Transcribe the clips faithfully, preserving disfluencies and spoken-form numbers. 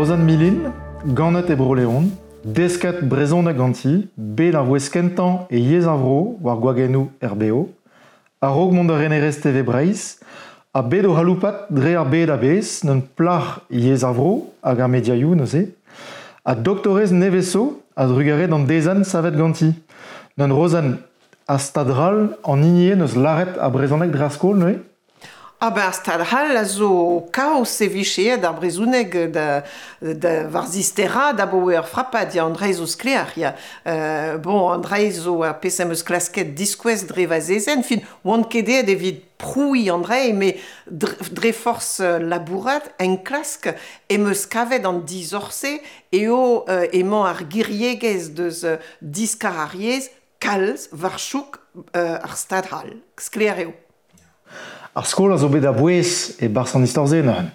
Rozenn Milin, ganet e Bro-Leon, desket brezhoneg ganti, bet ar wezh kentañ e yezh ar vro war gwagennoù R B O, a-raok mont da renerez T V Breizh, ha bet o c'haloupat dre ar bed a-bezh, n'un plac'h yezh ar vro hag ar mediaioù neuze, ha doktorez nevez zo a drugarez d'an dezenn savet ganti. N'un Rozenn, a stad ral an hini eo neus lâret ar brezhoneg dre ar skol neuze? Ah ben, ar stad c'hall a zo kaoz e vije aet ar brezhoneg da, da war zisterad abaoe ur frapad, ya, an dra zo sklaer, ya. Euh, bon, an dra zo ar pezh am eus klasket diskouez dre va zezenn, fin, oan ket aet evit prouiñ an dra, met dre, dre forzh labourat, enklask, em eus kavet an dizorse eo euh, emañ ar giriegezh deus euh, diskar ar yezh kalz war chouk euh, ar stad c'hall. Sklaer eo. Ar skol a zo bet a-bouez e-barzh an istor-se neuze.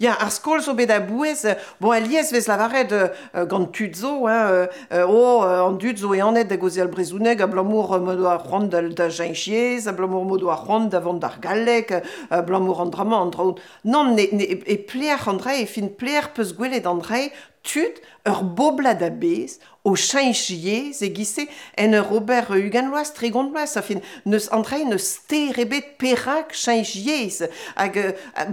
Ya, ar skol zo bet a-bouez, bon, alies vez lavaret euh, gant tud zo, hein, euh, oh, an dud zo eanet da gaozeal brezhoneg abalamour m'o doa c'hoant da, da cheñch yezh, abalamour m'o doa c'hoant da vont d'ar galleg, abalamour an dra-mañ, an dra-hont. Nann, ne, ne, e pleer an dra, e fin pleer peus gwelet an dra, tud ur boblad a-bezh o cheñch yezh e-giz-se en ur ober ugent vloaz, tregont vloaz, a fin neus an dra neus ster ebet perak cheñch yezh. Hag,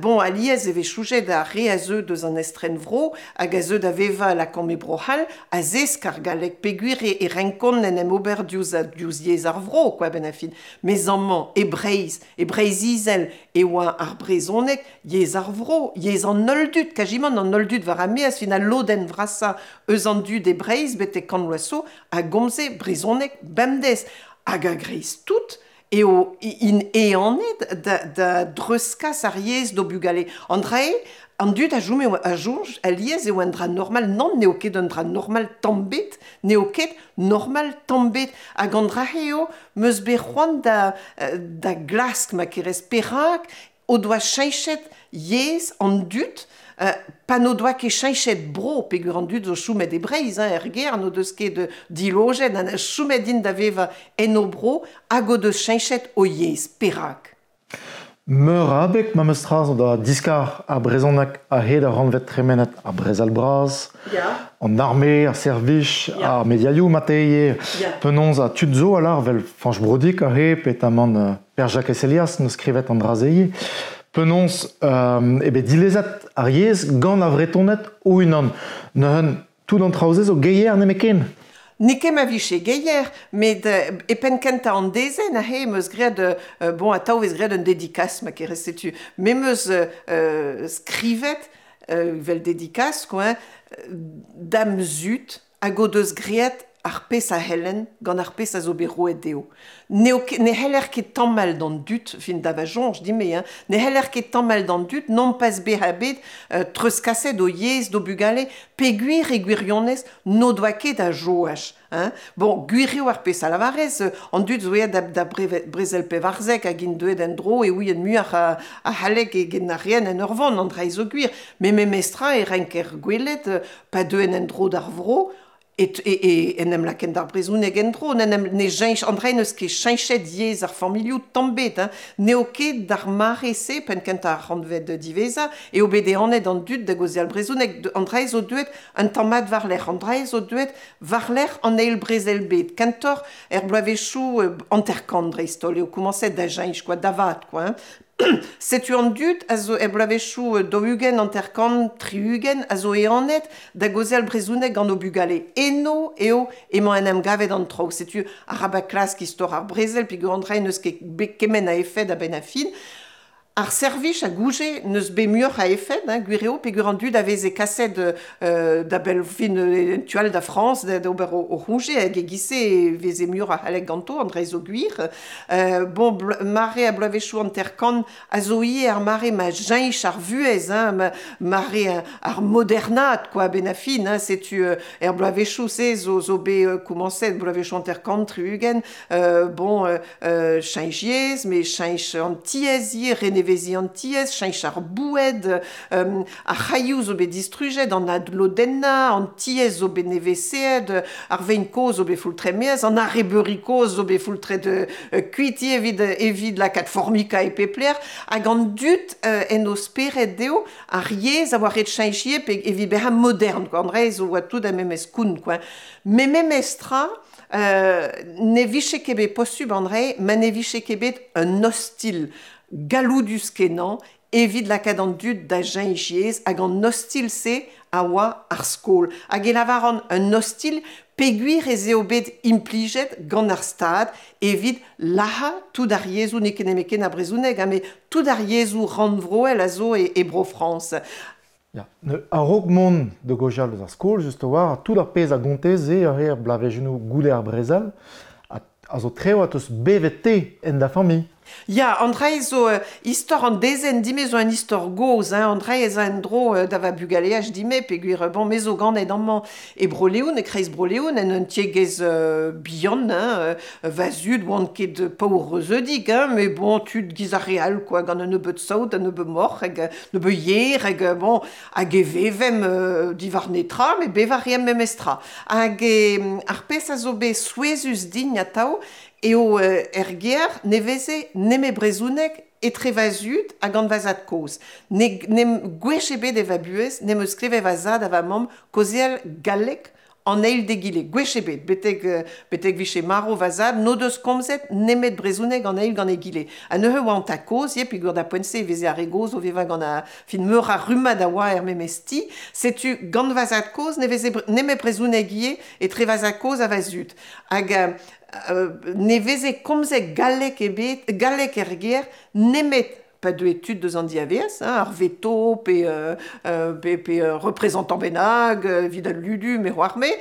bon, alies e vez choujet ar re a zeu deus an estren vro, hag a zeu da vevañ lakaomp e Bro-C'hall, a zesk ar galleg peogwir e, e renkont en em ober diouzh, diouzh yezh ar vro, quoi, ben a fin. Mes amañ, e Breizh, e Breizh-Izel, e oa ar brezhoneg yezh ar vro, yezh an holl dud, kajimant an holl dud war ar maez, fin al lodenn vrasañ eus an dud e Breizh betek kant vloaz zo a gomze brezhoneg bemdez. Hag a-greiz tout eo int ehanet da, da dreuzkas ar yezh d'o bugale. An dra eo, an dud a chom eo, a soñj alies eo un dra normal. Nann, n'eo ket un dra normal tamm ebet, n'eo ket normal tamm ebet. Hag an dra eo, 'm eus bet c'hoant da, da glask ma kerez perak o doa cheñchet yezh an dud, euh, pa n'o doa ket cheñchet bro, peogwir an dud zo chomet e Breizh, hein, er gêr, n'o deus ket dilojet, ha chomet int da vevañ en o bro, hag o deus cheñchet o yezh, perak? Meur a abeg ma 'm eus tra zo da diskar ar brezhoneg a-hed ar rannved tremenet ar brezel bras, Ya. an arme, ar servij, Ya. ar mediaioù marteze, Ya. penaos ha tud zo alar vel Fañch Broudic aze, petamant euh, Pêr-Jakez Helias neus skrivet an dra-se. Penaos euh, eo bet dilezet ar yezh gant ar Vretoned o-unan. Neuze tout an traoù-se zo geier nemetken. N'eo ket ma vije geier, met euh, e penn kentañ an dezenn aze 'm eus graet, euh, bon, atav vez graet un dédicace ma kerez setu. Me 'm eus euh, skrivet, euh, vel dédicace, quoi, hein, da'm zud hag o deus graet ar pezh a c'hellen gant ar pezh a zo bet roet dezho. N'eo ket, ne c'heller ket tamall d'an dud, fin da va soñj din-me, hein, ne c'heller ket tamall d'an dud non pas bezañ bet euh, treuzkaset o yezh d'o bugale, peogwir e gwirionez n'o doa ket a joaj. Hein. Bon, gwir eo ar pezh a lavarez, an dud zo aet da, da breve, brezel pevarzek hag int deuet en-dro e ouient muioc'h a, a c'halleg eget na reent en ur vont, an dra zo gwir. Met memestra e renker gwelet, pa deuent en-dro d'ar vro, et, e, e, en em lakaent d'ar brezhoneg en-dro, n'en em, ne cheñch, an dra n'eus ket cheñchet yezh ar familhoù tamm ebet, hein. N'eo ket d'ar mare-se, penn kentañ ar c'hantved diwezhañ, eo bet ehanet an dud da gaozeal brezhoneg. An dra zo deuet un tamm mat war-lerc'h, an dra zo deuet war-lerc'h an eil brezel bed. Kentoc'h er bloavezhioù euh, hanter-kant dreist-holl eo komañset da cheñch, quoi, da vat, quoi, hein. Setu an dud a zo er bloavezhioù daou-ugent, hanter-kant, tri-ugent a zo ehanet da gaozeal brezhoneg gant o bugale. Eno eo emañ en em gavet an traoù. Setu arabat klask istor ar brezel, peogwir an dra n'eus ket bet kement a efed a-benn ar fin. Ar servij a gouje n'eus bet muioc'h a efed, hein, gwir eo, peogwir an dud a veze kaset euh, da bell fin euh, tu all da Frañs da, da ober o, o c'hoñje, hag e-giz-se e veze muioc'h a c'halleg ganto, an dra zo gwir. Euh, bon, bl- mare a bloavezhioù hanter-kant a zo ivez ar mare ma cheñch ar vuhez, hein, ma, mare ar modernat, quoi, a-benn ar fin, hein, setu euh, er bloavezhioù-se zo, zo bet euh, komañset bloavezhioù hanter-kant, tri-ugent, euh, bon, euh, euh, cheñch yezh, met cheñch an tiez ivez, adnevezi an tiez, cheñch ar boued, euh, ar c'hailhoù zo bet distrujet, an adlodenna, an tiez zo bet neveseet, ar vein kozh zo bet foultret-maez, an arrebeuri kozh zo bet foultret euh, kuit evit, evit lakaat formika e pep lec'h, hag an dud euh, en o spered dezho ar yezh a oa ret cheñch pe evit bezañ modern, quoi. An dra zo oa tout a memes koun, quoi. Me memes tra, euh, ne vije ket bet posubl an dra, ma ne vije ket bet un ostil galloudus kenañ evit lakaat an dud da cheñch yezh, hag an ostil-se a oa ar skol. Hag e lavaran un ostil peogwir ez eo bet implijet gant ar stad evit lazhañ tout ar yezhoù, n'eo ket nemetken ar brezhoneg, ha met tout ar yezhoù rannvroel a zo e, e Bro-Frañs. Ya, ne, a-raok mont da gaozeal eus ar skol, just a-walc'h, tout ar pezh a gontez eo ar er bloavezhioù goude ar brezel, a, a zo treo a teus bevet te en da familh. Ya, an dra zo euh, istor an dezenn dime zo un istor gozh, hein, an dra ez a en dro euh, da va bugaleaj dime, peogwir euh, bon, me zo ganet amañ e Bro-Leon, e kreiz Bro-Leon, en un tiegezh euh, bihan, hein, euh, va zud oant ket paour reuzeudik, hein, mais bon, tud giz ar re all, quoi, gant un nebeud saout, un nebeud moc'h, hag un nebeud yer, hag bon, hag e vevem euh, diwar netra, met bevañ a reemp memestra. Hag e, ar pezh a zo bet souezhus din atav, eo euh, er gêr ne veze nemet brezhoneg etre va zud hag gant va zad-kozh. Ne, ne gwech ebet e va buhez, n'em eus klevet va zad ha va mamm kaozeal galleg an eil d'egile. Gwech ebet, betek, betek vije marv va zad, n'o deus komzet nemet brezhoneg an eil gant egile. Ha neuze oa an tad-kozh, ivez, peogwir da poent-se e veze ar re gozh o vevañ gant ar fin meur a rummad a oa er memes ti. Setu gant va zad-kozh ne veze nemet brezhoneg ivez etre va zad-kozh ha va zud. Hag euh, ne veze komzet galleg ebet, galleg er gêr nemet pa deue tud deus an diavaez, hein, ar veto pe, euh, euh, pe, pe euh, représentant bennak, euh, evit al ludu, me c'hoar me,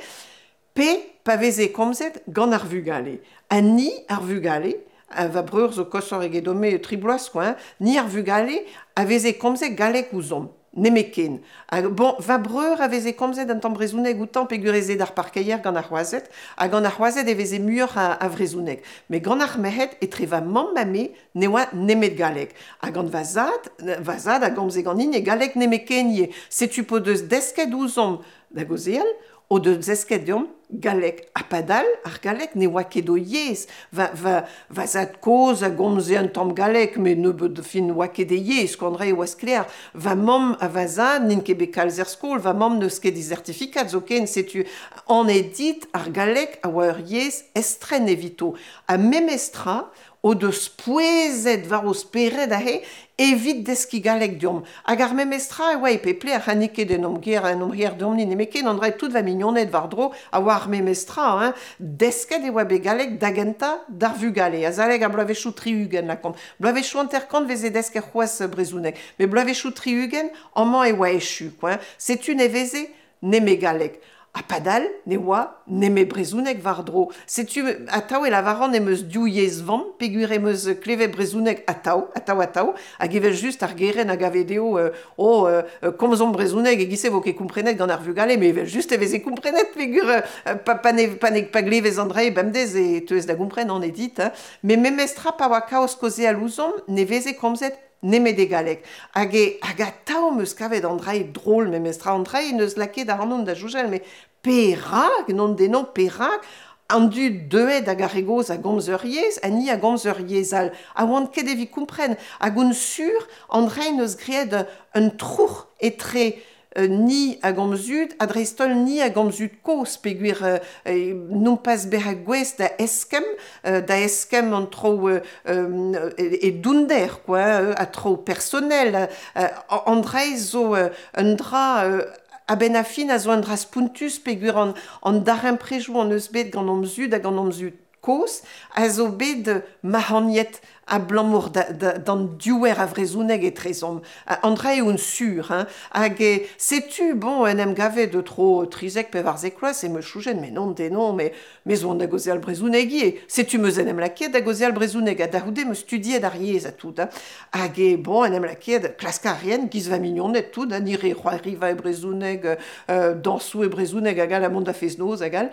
pe pa veze komzet gant ar vugale. Ha ni ar vugale, ha va breur zo koshoc'h egedon-me tri bloaz, quoi, hein, ni ar vugale a veze komzet galleg ouzhomp. Nemetken. Hag bon, va breur a veze komzet un tamm brezhoneg outañ peogwir ez eo d'ar parkeier gant ar c'hoazed, ha gant ar c'hoazed e veze muioc'h a, a vrezhoneg. Met gant ar merc'hed, etre va mamm ha me, ne oa nemet galleg. Ha gant va zad, va zad a gomze ganin e galleg nemetken ivez. Setu p'o deus desket ouzhomp da gaozeal, o deus desket deomp galleg. Ha padal, ar galleg ne oa ket o yezh. Va, va, va zad-kozh a gomze un tamm galleg, met nebeut fin oa ket e yezh, an dra e oa sklaer. Va mamm ha va zad n'int ket bet kalz er skol, va mamm n'eus ket he zertifikad zoken, setu an e dit ar galleg a oa ur yezh estren evito. Ha memestra, o deus pouezet war o spered aze evit deskiñ galleg deomp. Hag ar memestra e oa e pep lec'h, ha n'eo ket en hom gêr, en hom gêr deomp-ni nemetken, an dra tout va mignoned war-dro a oa ar memestra, hein. Desket e oa bet galleg da gentañ d'ar vugale, azalek ar bloavezhioù tri-ugent lakaomp. Bloavezhioù hanter-kant veze desket c'hoazh brezhoneg, met bloavezhioù tri-ugent amañ e oa echu, quoi, hein. Setu ne veze nemet galleg. Ha padal ne oa nemet brezhoneg war-dro. Setu atav e lavaran em eus div yezh vamm, peogwir em eus klevet brezhoneg atav, atav, atav, hag evel-just ar gerent a gave dezho euh, oh, euh, komzomp brezhoneg e-giz-se vo ket komprenet gant ar vugale, met evel-just e veze komprenet peogwir euh, pa, pa, ne, pa, ne, pa glevez an dra bemdez e teuez da gompren an edit. Hein. Met memestra pa oa kaoz kaozeal ouzhomp, ne veze komzet nemet e galleg. Hag e, hag atav em eus kavet an dra drol memestra, an dra n'eus lakaet ac'hanon da soñjal, met perak, non denon, perak, an dud deuet hag ar re gozh a gomz ur yezh, ha ni a gomz ur yezh all. Ha oan ket evit kompren. Hag on sur, an dra n'eus graet un troc'h etre euh, ni a gomz zud, ha dreist-holl ni a gomz zud kozh, peogwir euh, euh, nompas bezañ gouest da eskemm, euh, da eskemm an traoù euh, euh, e, e dounder, quoi, euh, a traoù personel. Euh, an dra zo euh, un dra euh, a-benn ar fin a zo un dra spontus peogwir an, an darempredoù an eus bet gant hom zud hag gant hom zud kozh, a zo bet mac'hagnet abalamour da, da, d'an diouer a vrezhoneg etrezomp. An dra eo un sur, hein. Hag e, setu, bon, en em gavet de tro trizek pevarzek vloaz, e me soñjen, mais non, de non, mais me zo an da gaozeal brezhoneg ivez. Setu meus en em lakaet da gaozeal brezhoneg, ha da c'houde meus studiet ar yezh ha tout, hein. Hag e, bon, en em lakaet klask a rien, giz va mignoned tout, hein, ni re c'hoariva e brezhoneg, euh, dañsoù e brezhoneg hag all, ha mont da fest-noz hag all.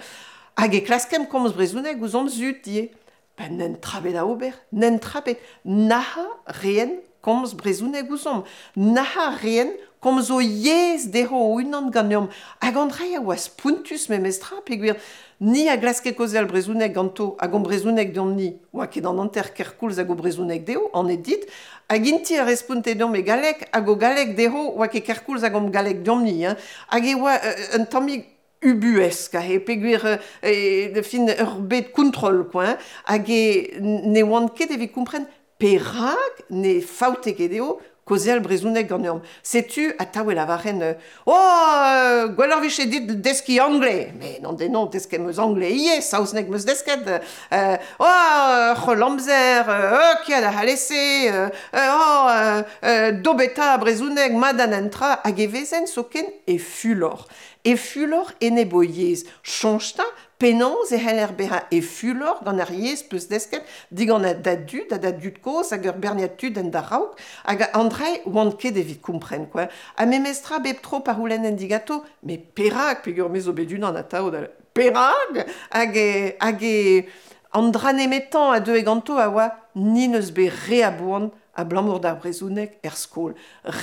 Hag e klaskem komz brezhoneg ouzh hon zud ivez. Ben n'en trabet a ober, n'en trabet, naha reen komz brezhoneg ouzhomp, naha reen komz o yezh dezho o-unan ganeomp. Hag an dra a oa spontus memestra, peogwir ni a glaske kaozeal brezhoneg ganto, hag hon brezhoneg deomp-ni, oa ket an hanter kerkoulz hag o brezhoneg dezho, an edit, hag inti a responte deomp e galleg, hag o galleg dezho, oa ket kerkoulz hag hon galleg deomp-ni. Hein. Hag e oa euh, un tammig ubuesk, he peogwir e, de fin ur bet kontrol, quoi, hein, hag e ne oant ket evit kompren perak ne faote ket dezho kaozeal brezhoneg ganeomp. Setu atav e lavaren euh, oh, euh, gwelloc'h vije dit deskiñ anglais. Mais non, de non, desket 'm eus anglais ivez, saozneg 'm eus desket. Euh, oh, c'holl amzer, euh, kia da c'hallese, euh, oh, euh, euh, dobeta brezhoneg mat an entra, hag e vezen zoken e fulor. E fulor enep o yezh. Soñj 'ta, penaos e c'heller bezañ e fulor gant ar yezh peus desket digant da dud, ha da dud kozh hag ur berniad tud en da raok, hag an dra oant ket evit kompren, quoi. Ha memestra bep tro pa c'houlennen digato, met perak, peogwir me zo bet unan atav da perak, hag e, hag e an dra nemetañ a deue ganto a oa ni n'eus bet re a boan abalamour d'ar brezhoneg er skol.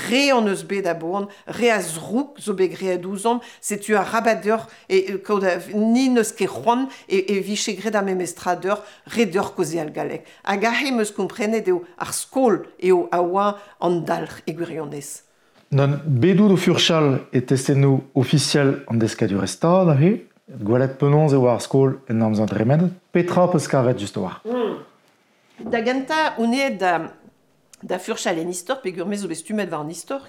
Re hon eus bet a boan, re a zroug zo bet graet ouzhomp, setu arabat deoc'h e, kaout a, ni n'eus ket c'hoant e, e vije graet ar memestra deoc'h, re deoc'h kaozeal galleg. Hag aze 'm eus komprenet eo ar skol eo a oa an dalc'h e gwirionez. Non, bet out o furchal e testennoù ofisiel an deskadurezh Stad aze, gwelet penaos e oa ar skol en amzer dremenet, petra peus kavet just war? Mm. Da gentañ on aet da, da furchal en istor, peogwir me zo bet stummet war an istor,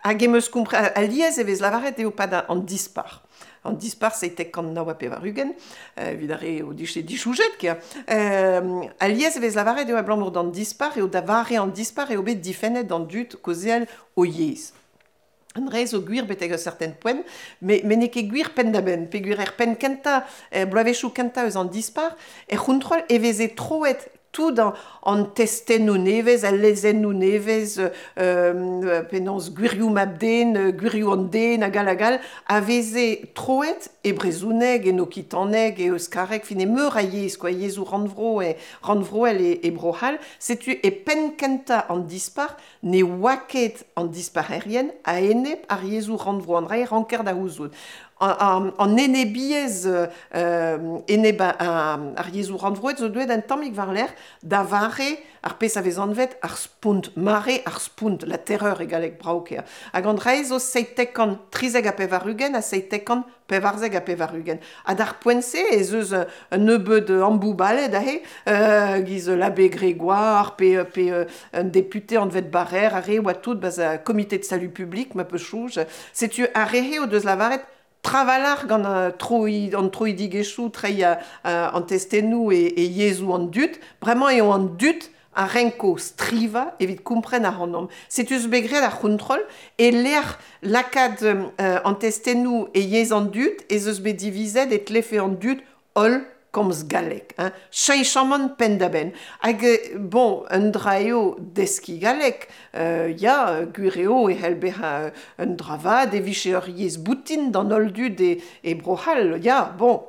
hag em eus kompre alies e vez lavaret eo pad an dispar. An dispar seitek kant nav ha pevar-ugent, evit ar re o dije dichoujet, kia. Euh, alies e vez lavaret eo abalamour d'an dispar, eo da vare an dispar eo bet difennet d'an dud kaozeal o yezh. An dra zo gwir betek ur certain poent, met, met n'eo ket gwir penn-da-benn, peogwir er penn kentañ, er bloavezhioù kentañ eus an dispar, er c'hontrol e veze troet tout an, an testennoù nevez, al lezennoù nevez, euh, penaos gwirioù mab-den, gwirioù an den, hag all hag all, a veze troet e brezhoneg, en okitaneg, e euskareg, fin e meur a yezh, quoi, yezhoù rannvro e rannvroel e, e Bro-C'hall. Setu e penn kentañ an dispar, ne oa ket an disparerien a-enep ar yezhoù rannvro, an dra e ranker da c'houzout. An, an enebiezh euh, enep ar yezhoù rannvroet zo deuet un tammig war-lerc'h da vare ar pezh a vez anvet ar spont, mare ar spont, la terreur e galleg brav ker. Hag an dra zo seitek kant trizek ha pevar-ugent ha seitek kant pevarzek ha pevar-ugent. Ha d'ar poent-se ez eus un nebeud amboubaled aze, euh, giz l'abbé Grégoire, pe, pe un député anvet Barère, ar re oa tout baz a comité de salut public, ma peus chouj. Setu ar re o deus lavaret Travalar gant an troi, an troidigezhioù, treiñ an testennoù e, e yezhoù an dud, bremañ eo an dud a renko strivañ evit kompren ac'hanomp. Setu eus bet graet ar c'hontrol, e lec'h lakaat euh, an testennoù e yezh an dud, ez eus bet divizet e tlefe an dud holl komz galleg. Hein. Cheñchamant penn-da-benn. Hag, bon, un dra eo deskiñ galleg, euh, ya, gwir eo e c'hell bezañ un dra vat e vije ur yezh boutin d'an holl dud e, e Bro-C'hall, ya, bon.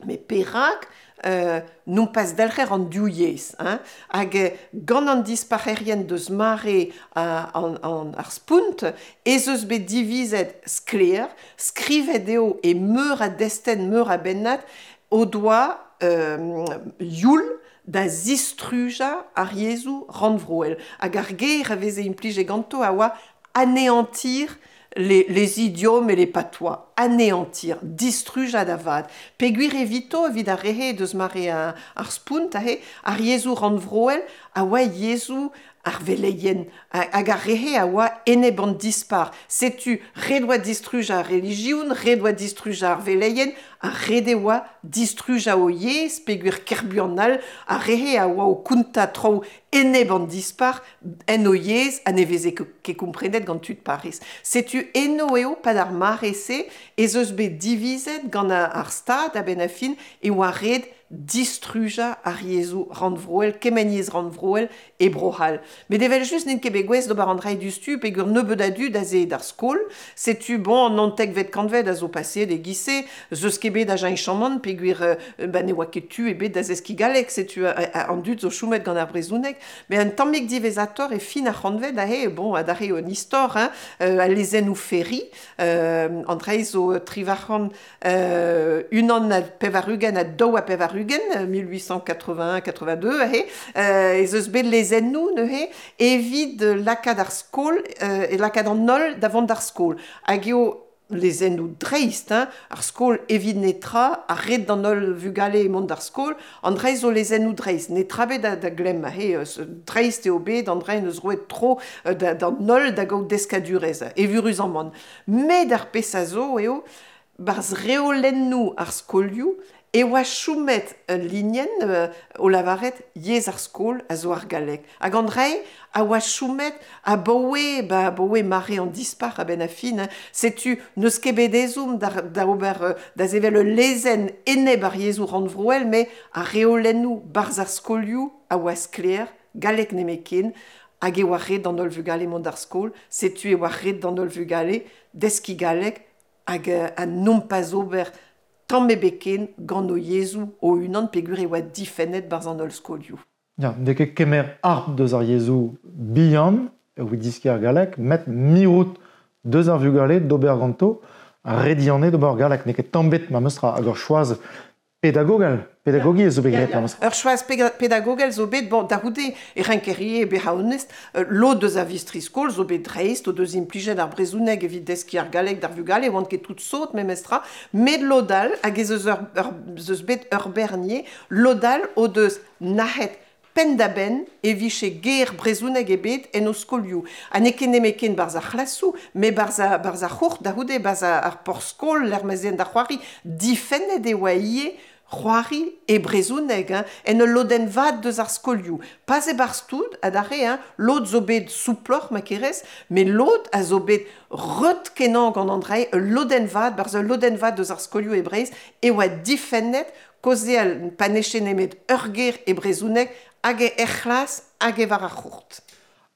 Mais perak euh, non pas delc'her an div yezh, hein. Hag gant an disparerien deus mare a, an, an, ar spont, ez eus bet divizet sklaer, skrivet eo e meur a destenn, meur a bennad, o doa euh, youl da zistrujañ ar yezhoù rannvroel. Hag ar ger a veze implijet ganto a oa anéantir les, les idiomes et les patois. Anéantir, distrujañ da vat. Peogwir evito evit ar rehe deus mare ar, ar spont aze, ar yezhoù rannvroel a oa yezhoù ar veleien, hag ar rehe a oa enep an dispar. Setu ret oa distrujañ ar relijion, ret oa distrujañ ar veleien, ha ret e oa distrujañ o yezh, peogwir kerbuan all, ar rehe a oa o kontañ traoù enep an dispar en o yezh ha ne veze ket komprenet gant tud Paris. Setu eno eo pad ar mare-se ez eus bet divizet gant ar stad a-benn ar fin e oa ret distruja ar yezhoù rannvroel, kement yezh rannvroel e Bro-C'hall. Met evel just n'int ket bet gouest d'ober an dra diouzhtu peogwir nebeut a dud aze d'ar skol. Setu bon an naontekvet kantved a zo paseet e-giz-se, zeus ket bet a cheñchamant peogwir euh, ba ne oa ket tu ebet da zeskiñ galleg, setu an dud zo chomet gant ar brezhoneg. Met un tammig diwezhatoc'h e fin ar c'hantved aze, bon, adarre un istor, hein, euh, al lezennoù Ferry, euh, an dra zo triwac'hant euh, unan ha pevar-ugent ha daou ha pevar-ugent, mil huit cent quatre-vingt-un quatre-vingt-deux, aze, euh, ez eus bet lezennoù neuze evit lakaat ar skol, euh, e lakaat an holl da vont d'ar skol. Hag eo lezennoù dreist, hein, ar skol evit netra, ar ret d'an holl vugale mont d'ar skol, an dra zo lezennoù dreist, netra bet da, da glemm, aze, dreist eo bet, an dra neus roet tro da, d'an holl da gaout deskadurezh, evuruzamant. Met ar pezh a zo eo, barzh reolennoù ar skolioù, e oa choumet ul linenn euh, o lavaret yezh ar skol a zo ar galleg. Hag an dra a oa choumet abaoe, ba, abaoe mare an dispac'h a-benn ar fin. Hein. Setu n'eus ket bet ezhomm da, da ober, da sevel ul lezenn enep ar yezhoù rannvroel, met ar reolennoù barzh ar skolioù a oa sklaer, galleg nemetken, hag e oa ret d'an holl vugale mont d'ar skol, setu e oa ret d'an holl vugale deskiñ galleg hag a nompas ober tamm ebet ken gant o yezhoù o-unan peogwir e oa difennet barzh an holl skolioù. Ya, n'eo ket kemer harp deus ar yezhoù bihan, evit diskiñ ar galleg, met mirout deus ar vugale d'ober ganto, ar redianez d'ober galleg. N'eo ket tamm bet ma meus tra hag ur choaz pedagogel, pedagogiezh zo bet graet, ma meus tra. Ur choaz pedagogel zo bet, bon, da c'houde e renkerie bezañ onest, lod deus a vistri skol zo bet dreist, o deus implijet ar brezhoneg evit deskiñ ar galleg d'ar vugale, oant ket tout sot memestra, met lod all, hag ez eus ur, ur, ez eus bet ur bernier, lod all o deus nac'het penn-da-benn e vije ger brezhoneg ebet en o skolioù. Ha n'eo ket nemet ken barzh ar c'hlasoù, met barzh ar, barzh ar c'hourt, da c'houde, barzh ar porzh-skol, l'ermaezien da c'hoari, difennet e oa ivez c'hoari e brezhoneg, hein, en ul lodenn vat deus ar skolioù. Pas e-barzh tout, adarre, hein, lod zo bet souploc'h ma kerez, met lod a zo bet reut kenañ gant an dra, ul lodenn vat, barzh ul lodenn vat deus ar skolioù e Breizh, e oa difennet kaozeal pa neche nemet ur ger e brezhoneg hag e er c'hlas hag e war ar c'hourt.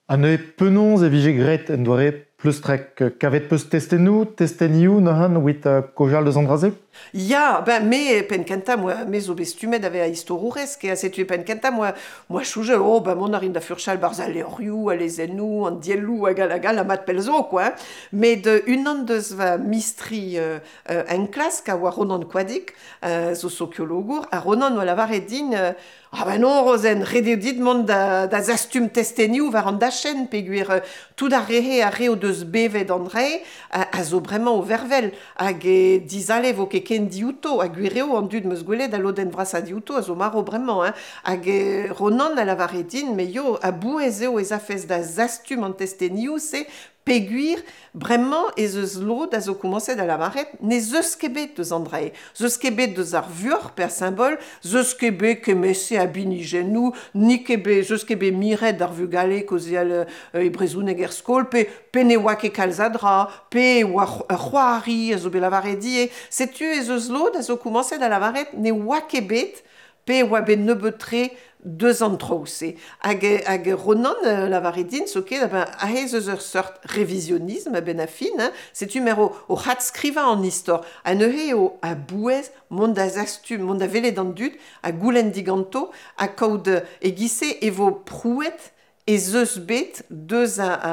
Ha neuze penaos e vije graet en doare pleustrek kavet peus testennoù, testenioù neuze evit kaozeal deus an dra-se? Ya, ben me penn kentañ, moi, me zo bet stummet ave a istorourez, ke a setu penn kentañ, moi, moi choujel, oh, ben mont a rin da furchal barzh al levrioù, al lezennoù, an dielloù hag al hag al, ha mat pell zo, quoi. Hein. Met unan deus va mistri euh, euh, enklask a oa Ronan Koadig, euh, zo sokiologour, ha Ronan oa lavaret din, euh, ah ben non, Rozenn, ret eo dit mont da, da zastum testenioù war an dachenn, peogwir euh, tout ar rehe ar re o deus bevet an dre, a, a zo bremañ o vervel, hag e dizale vo ket ken diouto, hag gwir eo an dud meus gwelet a lodenn vrasañ diouto a zo marv bremañ, hein. Hag e Ronan a lavaret din, me yo, a bouez eo ez afez da zastum an testenioù, se peogwir bremañ ez eus lod a zo komañset da lavaret ne zeus ket bet deus an dra. Zeus ket bet deus ar vuoc'h per symbol, zeus ket bet kemese a binijennoù, ni ket bet, zeus ket bet miret d'ar vugale kaozeal euh, e brezhoneg er skol, pe, pe ne oa ket kalz a dra, pe oa ur c'hoari a zo bet lavaret die. Setu ez eus lod a zo komañset da lavaret ne oa ket bet, pe oa bet nebeut-tre deus an traoù-se. Hag, hag Ronan euh, lavaret din, zo ket, ben, aze eus ur seurt révisionnisme a-benn ar fin, hein, setu mer o, o c'hadskrivañ an istor. Ha neuze eo a bouez mont da zastum, mont da welet an dud, ha goulenn diganto, ha kaout e-giz-se e vo prouet ez eus bet deus a, a,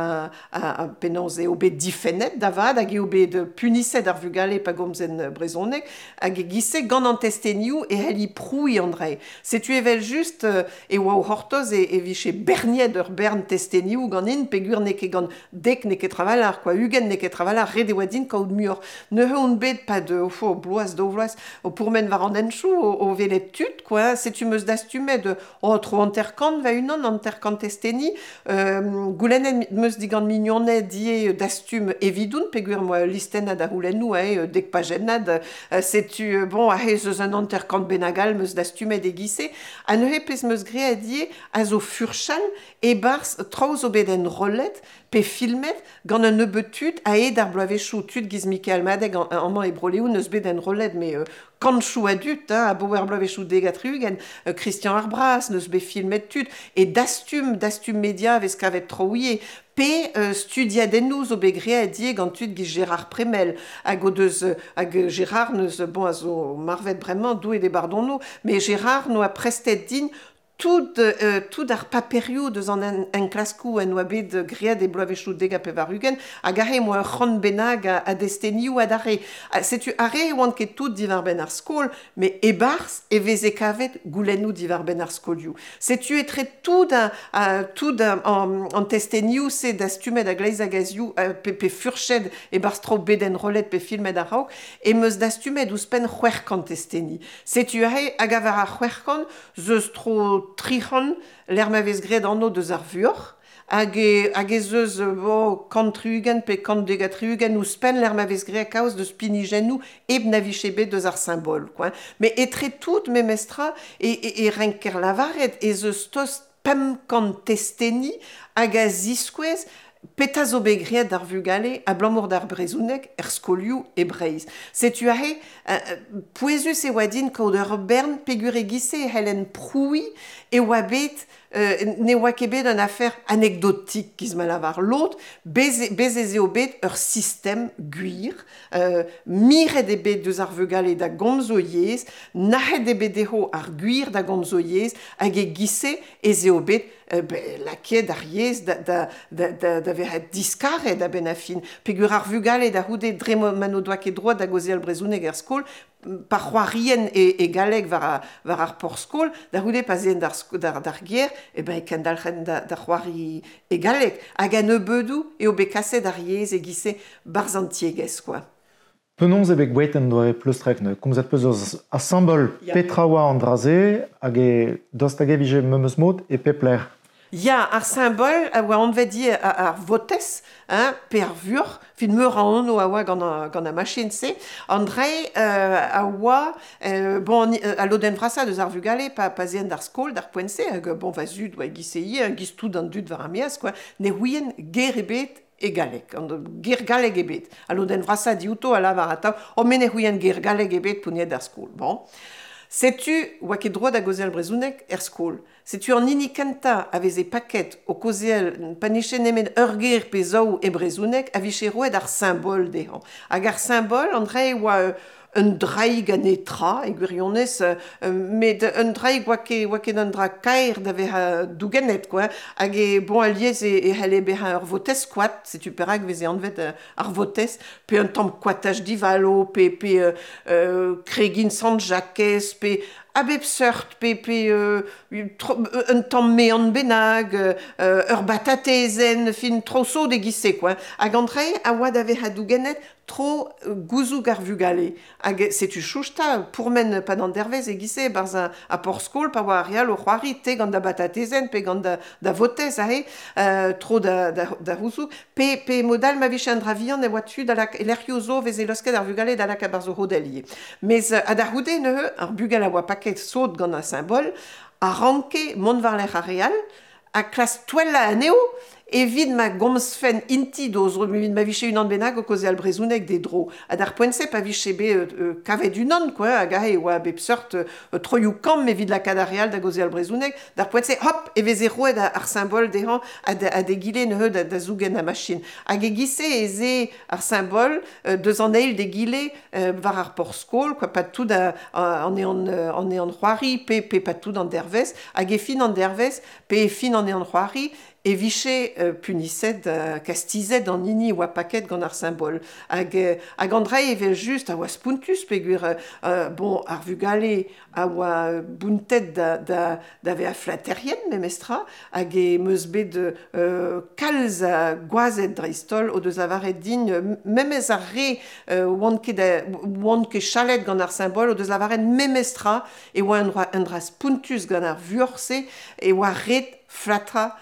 a, a penaos eo bet difennet da vat, hag eo bet puniset ar vugale pa gomzen brezhoneg, hag e-giz-se gant an testenioù e c'helli prouiñ an dra. Setu evel just e oa o c'hortoz e, e vije berniet ur bern testenioù ganin, peogwir n'eo ket gant dek n'eo ket travalc'h, quoi, ugent n'eo ket travalc'h, ret e oa din kaout muioc'h. Neuze on bet pa de, o fo, bloaz, daou vloaz, o pourmen war an henchoù, o, o welet tud, quoi, setu meus dastumet, oh, tro hanter-kant va unan, hanter-kant testeni, Euh, goulennet meus digant mignoned die dastum evidoun, peogwir moa listennad a c'houlennoù, eh, dek pajennad, euh, setu, bon, aze eus un hanter-kant bennak all meus dastumet e-giz-se, ha neuze pezh meus graet die a zo furchal e-barzh traoù zo bet enrollet pe filmet gant un nebeut tud a ed ar bloavezhioù tud giz Mikael Madeg amañ e Bro-Leon neus bet enrollet, mais euh, kantchoù a dud, hein, a boer bloavezhioù dek ha tri-ugent, euh, Christian Ar Braz neus bet filmet tud, e dastum, dastum media vez kavet troier, pe euh, studiadennoù zo bet graet die gant tud giz Gérard Premel, hag o deus, hag Gérard neus, bon, a zo marvet bremañ, doue d'e bardono, mais Gérard no a prestet din tout, euh, tout ar paperioù deus an en, enklaskoù en oa bet graet e bloavezhioù dek ha pevar-ugent, hag arre moa ur c'hant bennak a, a destenioù adarre. Setu arre e oant ket tout diwar-benn ar skol, met e-barzh e veze kavet goulennoù diwar-benn ar skolioù. Setu etre tout a, a, tout a, an, an testenioù se dastumet a gleiz hag a-zioù, pe, pe furched e-barzh tro bet enrollet pe filmet a-raok, e meus dastumet ouzhpenn c'hwec'h kant testeni. Setu arre hag a war ar c'hwec'h kant, zeus tro tric'hant, l'er ma vez graet anv deus ar vuoc'h, hag e, hag ez eus bo, kant tri-ugent pe kant dek ha tri-ugent ouzhpenn l'er ma vez graet kaoz deus pinijennoù hep na vije bet deus ar simbol, quoi. Mais etre tout memestra e, e, e renker lavaret ez eus tost pemp kant testeni hag a ziskouez petra zo bet graet d'ar vugale abalamour d'ar brezhoneg er skolioù e Breizh. Setu aze, euh, pouezus e oa din kaout ur bern peogwir e-giz-se e c'hellen prouiñ e oa bet euh, ne oa ket bet un affaire anekdotik giz ma lavar lod, bez, bez ez eo bet ur sistem gwir, euh, miret eo bet deus ar vugale da gomz o yezh, nac'het eo bet dezho ar gwir da gomz o yezh, hag e-giz-se ez eo bet euh, be, lakaet ar yezh da, da, da, da, da vezañ diskaret a-benn ar fin. Peogwir ar vugale da c'houde dre ma n'o doa ket droad da gaozeal brezhoneg er skol, pa c'hoarien e, e galleg war, a, war ar porzh-skol, da c'houde pa zeen d'ar, d'ar, d'ar gêr, e ben e kendalc'hen da, da c'hoari e galleg. Hag a nebeudoù eo bet kaset ar yezh e-giz-se barzh an tiegezh, quoi. Penaos eo bet gwelet en doare pleustrek, neuze? Komzet peus eus ar simbol Ya. petra oa an dra-se, hag e dost hag e vije memes mod e pep lec'h. Ya, ar simbol a oa anvet ivez ar, ar votez, hein, pe ar vuoc'h, fin meur a anv a oa gant a, gant a machin-se. An dre euh, a oa, euh, bon, a lodenn vrasañ deus ar vugale, pa, pa zeen d'ar skol, d'ar poent-se, hag bon, va zud oa e-giz-se ivez, giz tout an dud war ar maez, quoi, ne ouient ger ebet e galleg, an ger galleg ebet. A lodenn vrasañ diouto a lavar atav, oh, me ne ouient ger galleg ebet p'on d'ar skol. Bon. Setu oa ket droad da gaozeal brezhoneg er skol. Setu an hini kentañ a veze paket o kaozeal pa nije nemet ur ger pe zaou e brezhoneg a vije roet ar simbol dezhañ. Hag ar simbol, an dre oa un draig a netra, e gwirionez, euh, met un draig oa ket, oa ket un dra kaer da vezañ dougennet, quoi. Hag e, bon, alies e, e c'helle bezañ ur votez koad, setu perak veze anvet euh, ar votez, pe un tamm koataj divalo, pe, pe euh, euh, kregin Sant-Jakez, pe a bep seurt, pe, pe euh, tro, un tamm mean bennak, euh, ur batatezenn, fin tro sot e-giz-se, quoi. Hag an dre a oa da vezañ dougennet tro gouzoug ar vugale. Hag setu chouchta, pourmen pad an dervez e-giz-se, barzh a, a porzh-skol, pa oa ar re all o c'hoari, te gant da batatezenn, pe gant da, da votez, aze, euh, tro da, da, da c'houzoug, pe, pe modal ma vije an dra vihan e oa tu da lak, e lec'hioù zo veze losket ar vugale da lakaat barzh o rodell ivez. Mes a da c'houde neuze, ar bugel a oa paket sot gant ar simbol, a ranke mont war-lerc'h ar re all, ha klask touellañ anezho, evit ma gomzfen inti d'o zro, evit ma vije unan bennak o kaozeal brezhoneg d'e dro. Ha d'ar poent-se pa vije bet euh, kavet unan, quoi, hag aze e oa bep seurt euh, troioù kamm evit lakaat ar re all da gaozeal brezhoneg, d'ar poent-se, hop, e veze roet ar simbol dezhañ ha da, d'egile neuze da, da zougen ar machin. Hag e-giz-se ez eo ar simbol euh, deus an eil d'egile euh, war ar porzh-skol, quoi, pa tout a, a, an ean, an ean c'hoari, pe, pe pa tout an dervez, hag e fin an dervez, pe e fin an ean c'hoari, e vije euh, puniset, euh, kastizet an hini oa paket gant ar simbol. Hag, euh, hag an dra evel just a oa spontus peogwir euh, bon, ar vugale a oa bountet da, da, da vezañ flaterien memestra, hag e meus bet euh, kalz a gwazed dreist-holl o deus lavaret din, memez ar re euh, oant ket, da, oant ket chalet gant ar simbol, o deus lavaret memestra e oa un dra, un dra spontus gant ar vuoc'h-se, e oa ret flatra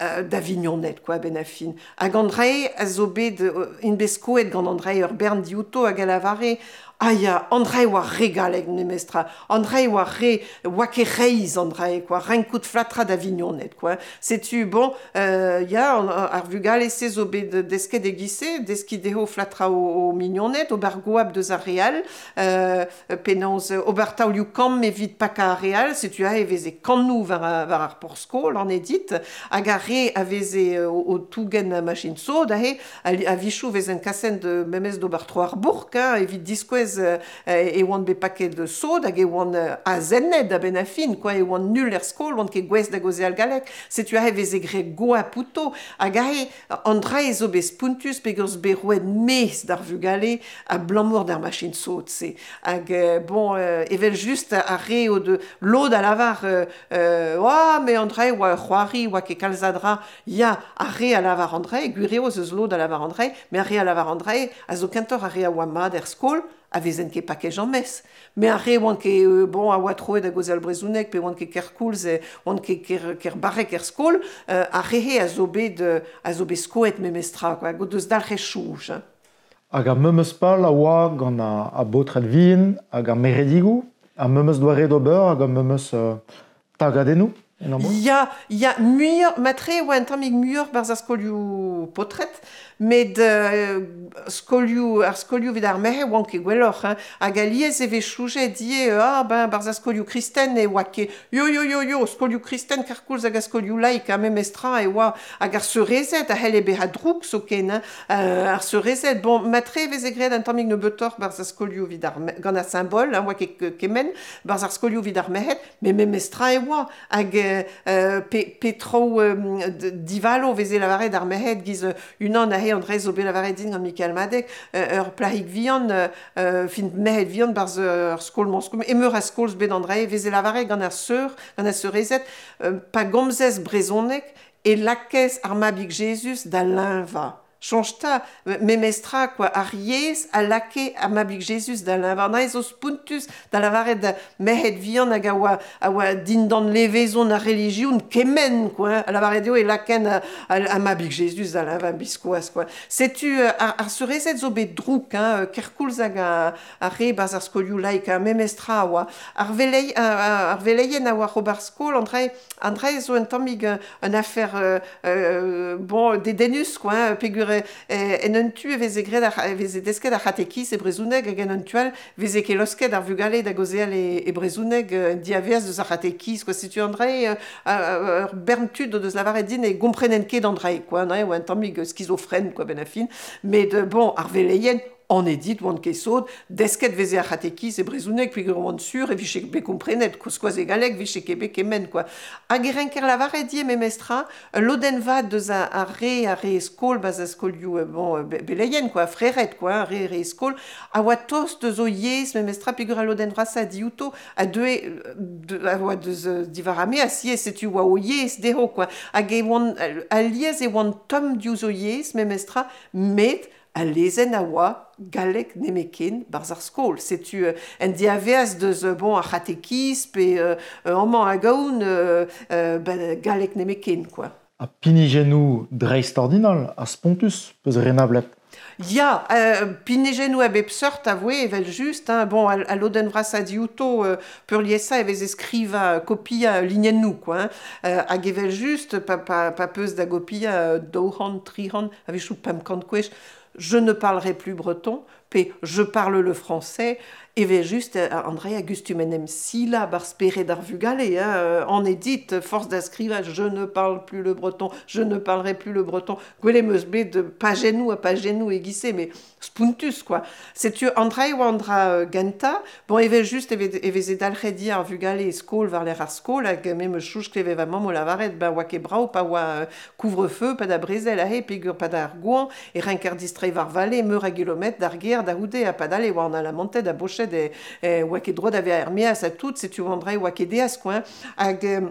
euh, da vignoned, quoi, ben a fin. Hag an dra a zo bet, euh, int bet skoet gant an dra ur bern diouto hag a lavare Ah ya, an dra oa re galleg memestra, an dra oa re, oa ket reizh an dra, quoi, renkout flatra da vignoned, quoi. Setu, bon, euh, ya, an, ar vugale-se zo bet desket e giz-se, deskiñ dezho flatra o, o mignoned, ober goap deus ar re all, euh, penaos ober taolioù kamm evit pakañ ar re all, setu aze e veze kannoù war, war ar porzh-skol, an edit, hag ar re a veze o, o tougen machin sod, aze, a-wechoù vezent kaset memes d'ober tro ar bourk, hein, evit diskouez e oant bet paket sod hag e oant azennet a-benn ar fin, quoi, e oant nul er skol, oant ket gouest da gaozeal galleg. Setu aze veze graet goap outo, hag aze an dra zo bet spontus peogwir zo bet roet mezh d'ar vugale abalamour d'ar machin sod-se. Hag bon, evel just ar re o de lod a lavar euh, oa, me an dra oa c'hoari, oa ket kalz a dra. Ya, ar re a lavar an dra, gwir eo eus lod a lavar an dra, met ar re a lavar an dra a zo kentoc'h ar re a oa mat er skol, a vezen ket paket james. Mais ar re oant ket, euh, bon, a oa troet da gaozeal brezhoneg, pe oant ket kerkoulz, oant ket ker, ker barrek er skol, euh, ar re a zo bet, a zo bet skoet memestra, quoi, hag o deus dalc'het chouj. Hein. Hag ar memes pal a oa gant a, a baotred vihan, hag ar meredigoù, ar memes doare d'ober, hag ar memes euh, tagadennoù. Ya, ya, muioc'h, matre oa un tammig muioc'h barzh ar skolioù paotred, met euh, skolioù, ar skolioù evit ar merc'hed oant ket gwelloc'h, hein. Hag alies e vez choujet ivez, ah ben, barzh ar skolioù kristen e oa ket, yo yo yo yo, skolioù kristen kerkoulz hag ar skolioù laik, hein, memestra e oa, hag ar seurezed a c'helle bezañ drouk zoken, hein. Euh, ar seurezed, bon, matre e veze graet un tammig nebeutoc'h barzh ar skolioù evit ar, gant ar simbol, hein, oa ket kement, barzh ar skolioù evit ar merc'hed, met memestra e oa, hag Euh, pe, pe traoù euh, divalo veze lavaret ar merc'hed giz unan aze an dra zo bet lavaret din gant Mikael Madeg, euh, ur plahig vihan, euh, fin merc'hed vihan barzh ur skol-mañ skol, emeur a skol bet an dra veze lavaret gant ar seur, gant ar seurezed, euh, pa gomzez brezhoneg e lakez ar mabig Jezuz da leñvañ. Soñj 'ta, memestra, quoi, ar yezh a lake ar mabig Jezuz da leñvañ. An zo spontus da lavaret da merc'hed vihan hag a oa, a oa dindan levezon ar relijion kement, quoi, a lavaret eo e laken a, a, a mabig Jezuz da leñvañ biskoazh, quoi. Setu ar, ar seurezed zo bet drouk, hein, kerkoulz hag a, ar re barzh ar skolioù laik, hein, memestra a oa. Ar velei, ar, ar veleien a oa ober skol, an dra, an dra zo un tammig un afer euh, euh, bon, dedennus, quoi, hein, peogwir en un tu e veze graet ar, e veze desket ar c'hatekiz e brezhoneg hag en un tu all veze ket losket ar vugale da gaozeal e, e brezhoneg en diavaez deus ar c'hatekiz, quoi. Setu an dra ur bern tud o deus lavaret din e gomprenen ket an dra, quoi, an dra oa un tammig skizofren, quoi, ben a fin. Met bon, ar veleien an edit oant ket sod, desket veze ar c'hatekiz e brezhoneg peogwir oant sur e vije bet komprenet, koskoaz e galleg vije ket bet kement, quoi. Hag e renker lavaret ivez memestra, lodenn vat deus ar re ar re skol, ba'z ar skolioù, bon, beleien, quoi, frered, quoi, ar re re skol, a oa tost deus o yezh memestra peogwir al lodenn vrasañ diouto, a deue, a oa deus diwar ar maez, ivez, setu oa o yezh dezho, quoi. Hag e oant, alies e oant tomm diouzh o yezh memestra, met al lezenn a oa galleg nemetken barzh ar skol. Setu euh, en diavaez deus bon, ar c'hatekiz pe euh, amañ hag ahont euh, euh, ben, galleg nemetken, quoi. Ha pinijennoù dreistordinal ha spontus peus renablet. Ya, euh, pinijennoù a bep seurt a voe evel just, hein, bon, al, al lodenn vrasañ diouto euh, peurliesañ e veze skrivañ kopiañ linennoù, quoi, hein, euh, hag evel just, pa, pa, pa peus da gopiañ daou c'hant, tri c'hant, a-wechoù pemp kant kwech, je ne parlerai plus breton, pe je parle le français, evel just, André a gustum en em sila bar spered ar vugale, hein, an edit, force da skrivañ, je ne parle plus le breton, je ne parlerai plus le breton, gwelet em eus bet pajennoù ha pajennoù e giz-se, mais spontus, quoi. Setu André oa an dra gentañ, bon, evel just e veze dalc'het ar vugale e skol war lec'h ar skol, hag me meus chouch klevet va mamm o lavaret, ben oa ket brav, pa oa couvre-feu, pa da brezel aze, peogwir pa da ar goañv, e renker distreiñ war vale, meur a gilometr d'ar gêr da c'houde, ha padal e oa an alamanted a boched e, e oa ket droit da vezañ er maez ha tout, setu an dra oa ket deas, quoi, hag euh,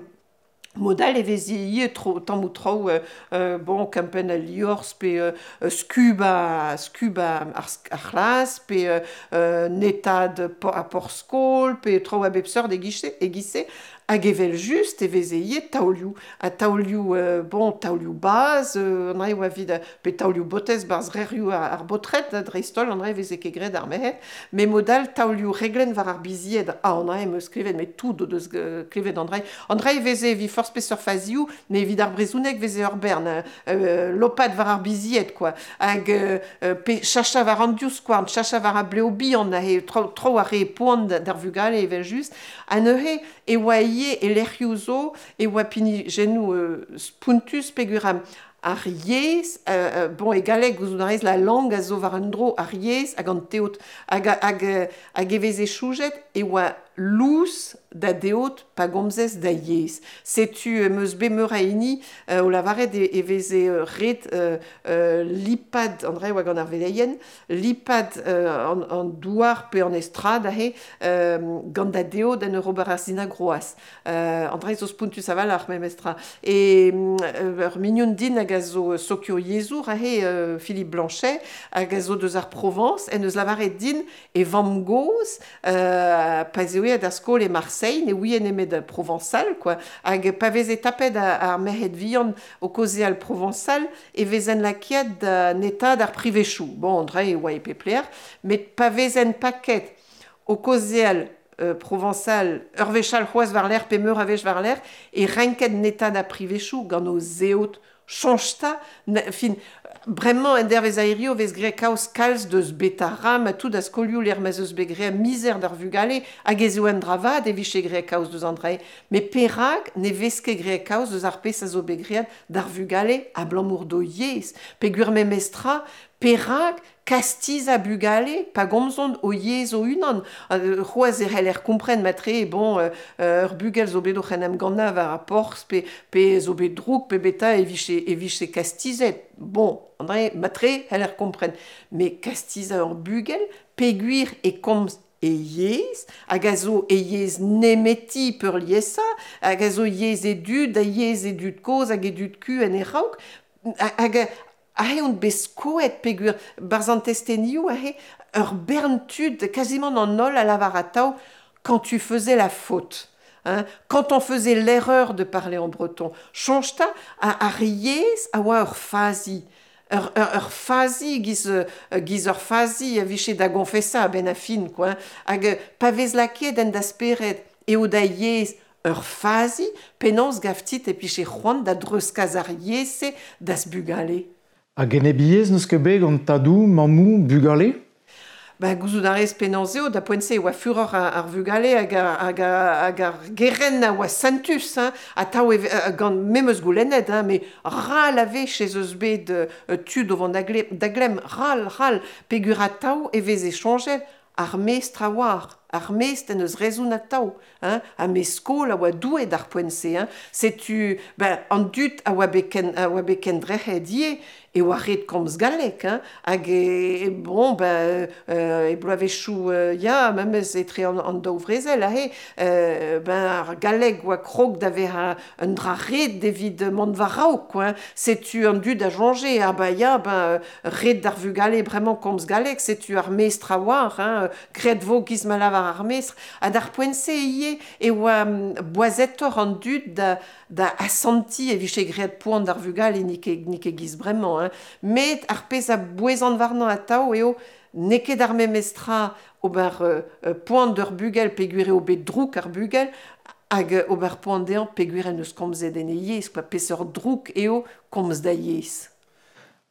modal e veze ivez tro, tammoù traoù, euh, bon, kempenn al liorzh pe euh, skub a, skub a, ar, ar c'hlas, pe euh, netad a porzh-skol, pe traoù a bep seurt e giz-se, e giz-se. Hag evel just e veze ivez taolioù, ha taolioù, euh, bon, taolioù baz, euh, an dra oa evit, pe taolioù botez barzh reurioù ar, ar baotred, dreist-holl, an dra e veze ket graet ar merc'hed, met mod all taolioù reglenn war ar bizied, ah, an dra em eus klevet, met tout o deus klevet an dra. An dra e veze evit forzh peseurt fazioù, met evit ar brezhoneg veze ur bern, euh, lopat war ar bizied, quoi. Hag euh, pe chacha war an divskouarn, chacha war ar blev bihan, aze, tro, tro ar re poan d'ar vugale evel just, ha neuze e oa ivez e lec'hioù zo e oa pinijennoù euh, spontus peogwir ar yezh, euh, bon, e galleg gouzout a rez la langue a zo war un dro ar yezh hag an teod hag, hag, hag e veze choujet e oa lous da deod pa gomzez da yezh. Setu em eus bet meur a hini euh, o lavaret e, e veze ret euh, euh, lipad, an dra e oa gant ar veleien, lipad euh, an, an douar pe an estrad aze euh, gant da deod en ur ober ar sinagroaz. Euh, an dra zo spontus a-walc'h memestra. E euh, ur mignon din hag a zo sokioyezhour aze euh, Philippe Blanchet hag a zo deus ar Provence en eus lavaret din e vamm-gozh euh, pa 'z eo da skol e Marseille, ne ouie nemet provençal, quoi. Hag pa veze tapet ar merc'hed vihan o kaozeal provençal, e vezen lakaet da netaat ar privezioù. Bon, an dra e oa e pep lec'h, met pa vezen paket o kaozeal euh, provençal, ur wech all c'hoazh war-lerc'h pe meur a wech war-lerc'h, e renket netaat ar privezioù gant o zeod. Soñj 'ta, fin, bremañ en dervez a hirio vez graet kaoz kalz deus Betharam ha tout a skolioù lec'h ma'z eus bet graet mizer d'ar vugale hag ez eo un dra vat e vije graet kaoz deus an dra-se. Met perak ne vez ket graet kaoz deus ar pezh a zo bet graet d'ar vugale abalamour d'o yezh? Peogwir memestra, perak kastizañ bugale pa gomzont o yezh o-unan? C'hoazh e c'heller kompren matre, bon, euh, ur bugel zo bet oc'h en em gannañ war ar porzh pe, pe zo bet drouk pe beta e vije, e vije kastizet. Bon, an dra matre c'heller kompren. Met kastizañ ur bugel peogwir e komz e yezh, hag a zo e yezh nemeti peurliesañ, hag a zo yezh e dud, ha yezh e dud kozh hag e dud ku en e raok, hag aze on bet skoet peogwir barzh an testenioù aze ur bern tud, kazimant an holl a lavar atav, quand tu faisais la faute. Hein, quand on faisait l'erreur de parler en breton, soñj 'ta ar yezh a oa ur fazi. Ur, ur, ur fazi giz, giz ur fazi a vije da gonfesañ a-benn ar fin, quoi. Hag pa vez lakaet en da spered eo da yezh ur fazi, penaos gav dit e pije c'hoant da dreuzkas ar yezh-se d'az bugale? Hag enebiezh n'eus ket bet gant tadoù, mammoù, bugale? Ben, gouzout a rez penaos eo, da poent-se e oa furoc'h ar vugale hag ar, hag ar, hag ar gerent a oa sentus, hein, atav e, gant me 'm eus goulennet, hein, met ral a wech ez eus bet euh, tud o vont da glemm, ral, ral, peogwir atav e veze soñjet ar mestr a oar, ar mestr en deus rezon atav, hein, ha mestr skol a oa Doue d'ar poent-se, hein. Setu, ben, an dud a oa bet ken, a oa bet kendrec'het ivez, e oa ret komz galleg, hein, hag e, bon, ben, euh, e bloavezhioù, euh, ya, memes etre an, an daou vrezel, aze, euh, ben, ar galleg oa krog da vezañ un dra ret evit mont war-raok, quoi, hein. Setu an dud a soñje, ah ben ya, ben, ret d'ar vugale bremañ komz galleg, setu ar mestr a oar, hein, graet vo giz ma lavar ar mestr, ha d'ar poent-se ivez e oa boazetoc'h an dud da, da asantiñ e vije graet poan d'ar vugale n'eo ket, n'eo ket giz bremañ, hein. Met ar pezh a bouezan warnañ atav eo n'eo ket ar memes tra ober euh, poan d'ur bugel peogwir eo bet drouk ar bugel hag ober poan dezhañ peogwir en deus komzet en e yezh, quoi. Peseurt drouk eo komz da yezh.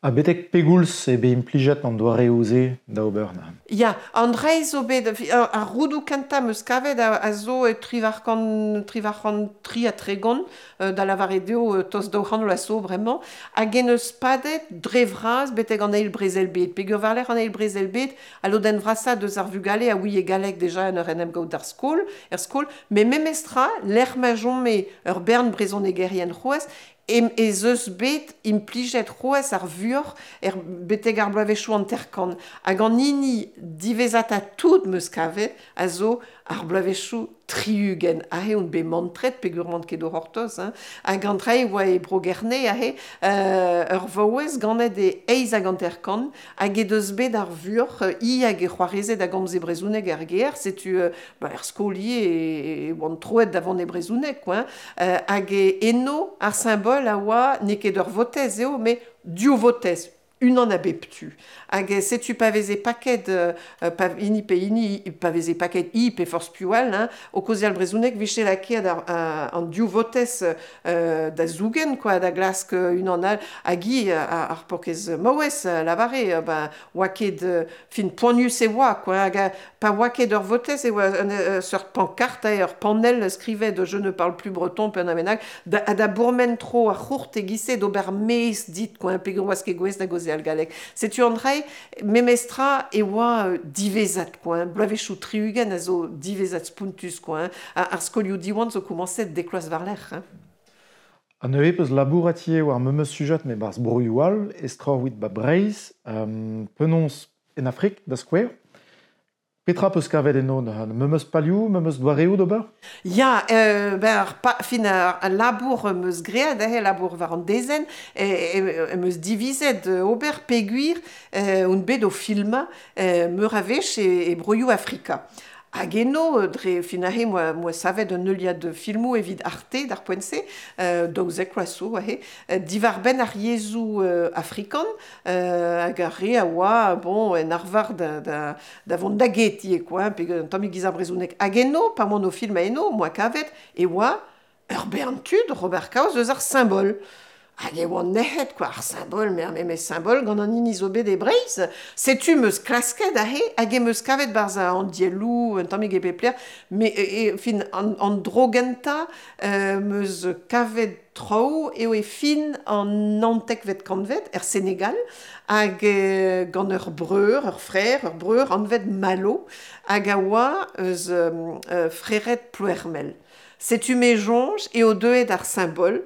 Ha betek pegoulz eo bet implijet an doareoù-se da ober neuze? Ya, an dra zo bet, ar roudoù kentañ 'm eus kavet a, a zo e triwec'h kant, triwec'h kant tri ha tregont, da lavaret eo tost daou c'hant vloaz zo bremañ, hag en eus padet dre vras betek an eil brezel-bed. Peogwir war-lerc'h an eil brezel-bed, al lodenn vrasañ deus ar vugale a ouie galleg deja en ur en em gaout d'ar skol, er skol, met memestra, lec'h ma chome ur bern brezhonegerien c'hoazh, ez eus bet implijet c'hoazh ar vuoc'h er betek ar bloavezhioù hanter-kant. Hag an hini diwezhatañ tout 'm eus kavet a zo ar bloavezhioù tri-ugent, aze on bet mantret peogwir 'oan ket o c'hortoz, hein. Hag an dra e oa e Bro-Gerne aze, euh, ur vaouez ganet e eizh hag hanter-kant, hag he deus bet ar vuoc'h, hi hag he c'hoarezed a gomze brezhoneg er gêr, setu euh, ba, er skol ivez e, e oant troet da vont e brezhoneg, quoi, hein. Euh, hag e eno ar simbol a oa n'eo ket ur votez eo, met div votez, unan a bep tu. Hag setu pa veze paket, euh, pa, hini pe hini, pa veze paket i pe forzh piv all, hein, o kaozeal brezhoneg vije lakaet ar, ar, an div votez euh, da zougen, quoi, da glask unan all, hag hi ar, ar paourkaezh maouez lavare, ben, oa ket, fin poanius e oa, quoi, hag pa oa ket ur votez e oa un, un seurt pancarte, ur panel skrivet je ne parle plus breton pe un amenag, da, ha da bourmen tro ar c'hourt e-giz-se d'ober mezh dit, quoi, peogwir oas ket gouest da gaozeal galleg. Setu an dra memestra e oa euh, diwezhat, quoi, hein. Bloavezhioù tri-ugent a zo diwezhat spontus, quoi, hein. Ar, ar skolioù Diwan zo komañset dek vloaz war-lerc'h, hein. Ha neuze peus labourat ivez war memes sujed met 'barzh broioù all, estroc'h evit 'ba Breizh, euh, penaos en Afrik, da skouer. Petra peus kavet eno neuze? Memes palioù, memes doareoù d'ober? Ya, euh, ben ar pa, fin ar, al labour 'm eus graet, eh, labour war an dezenn, em eus divizet ober peogwir euh, on bet o filmañ euh, meur a wech e, e broioù Afrika. Hag eno, dre fin aze, moa, moa savet un heuliad filmoù evit Arte d'ar poent-se, euh, daouzek vloaz zo aze, diwar-benn ar yezhoù euh, afrikan, euh, hag ar re a oa, bon, en arvar da, da, da vont da get ivez, quoi, hein, pe un tammig giz ar brezhoneg. Hag eno, pa oan o filmañ eno, moa kavet, e oa ur bern tud oc'h ober kaoz eus ar simbol. Hag e oan nec'het, quoi, ar simbol, me ar memes simbol gant an hini zo bet e Breizh. Setu 'm eus klasket aze hag em eus kavet 'barzh an dielloù, un tammig e pep lec'h, met e, e, fin, an, an dro gentañ euh, 'm eus kavet traoù eo e fin an naontekvet kantved, er Senegal, hag euh, gant ur breur, ur frer, ur breur anvet Malo, hag a oa eus euh, frered Ploermel. Setu me soñj eo deuet ar simbol,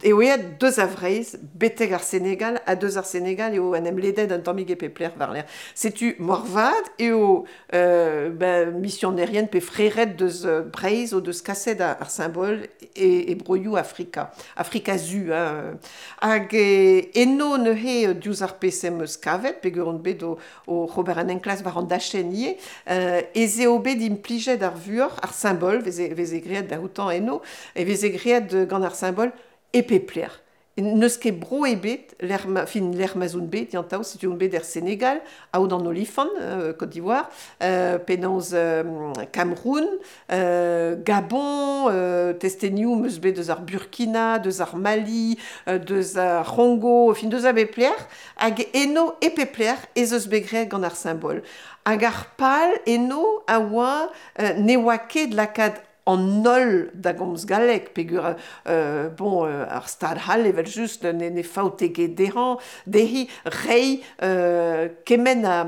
eo aet deus a Vreizh betek ar Senegal, ha deus ar Senegal eo en em ledet un tammig e pep lec'h war-lerc'h. Setu moarvat eo euh, ben, misionerien pe frered deus Breizh o deus kaset ar, ar simbol e, e broioù Afrika, Afrika Zu. Hein. Hag e, eno neuze diouzh ar pezh em eus kavet, peogwir on bet o, o ober an enklask war an dachenn ivez, euh, ez eo bet implijet ar vuoc'h, ar simbol, veze, veze graet da outañ eno, e veze graet gant ar simbol e pep lec'h. N'eus ket bro ebet, lec'h ma, fin lec'h ma'z on bet, yantav, setu on bet er Senegal, Aod an Olifant, euh, Côte d'Ivoire, euh, penaos euh, Cameroun, euh, Gabon, euh, testenioù 'm eus bet deus ar Burkina, deus ar Mali, euh, deus ar C'hongo, fin deus a bep lec'h, hag eno e pep lec'h ez eus bet graet gant ar simbol. Hag ar pal eno a oa euh, ne oa ket lakaat an holl da gomz galleg, peogwir euh, bon, euh, ar stad c'hall evel-just ne, ne faote ket dezhañ, dezhi reiñ euh, kement a,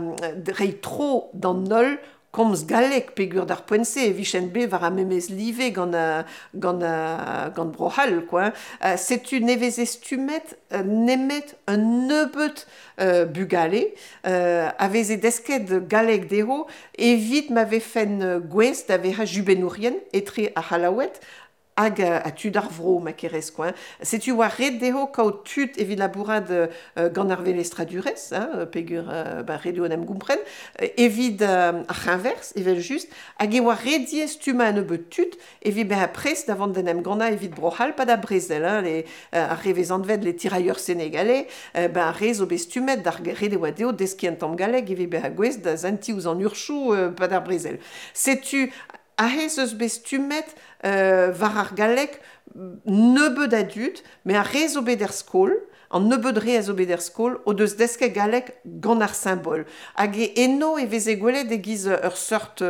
reiñ tro d'an holl komz galleg, peogwir d'ar poent-se e vijent bet war ar memes live gant a, gant a, gant Bro-C'hall, quoi. Euh, setu ne veze stummet euh, nemet un nebeud euh, bugale euh, a veze desket galleg dezho evit ma vefent gouest da vezañ jubennourien etre ar C'hallaoued hag a tud ar vro, ma kerez, quoi. Setu oa ret dezho kaout tud evit labourat euh, gant ar velestradurezh, hein, peogwir euh, ba, ret eo en em gompren, evit euh, ar c'heñverzh, evel-just, hag e oa ret ivez stummañ un nebeud tud evit bezañ prest da vont d'en em gannañ evit Bro-C'hall pa da brezel, hein, les, euh, ar re vez anvet les tirailleurs sénégalais, euh, ben, ar re zo bet stummet d'ar ret e oa dezho deskiñ un tamm galleg evit bezañ gouest da sentiñ ouzh an urzhioù euh, pa d'ar brezel. Setu aze eus bet stummet euh, war ar galleg nebeud a dud, met ar re zo bet er skol, an nebeud re a zo bet er skol, o deus desket galleg gant ar simbol. Hag e eno e veze gwelet e-giz ur seurt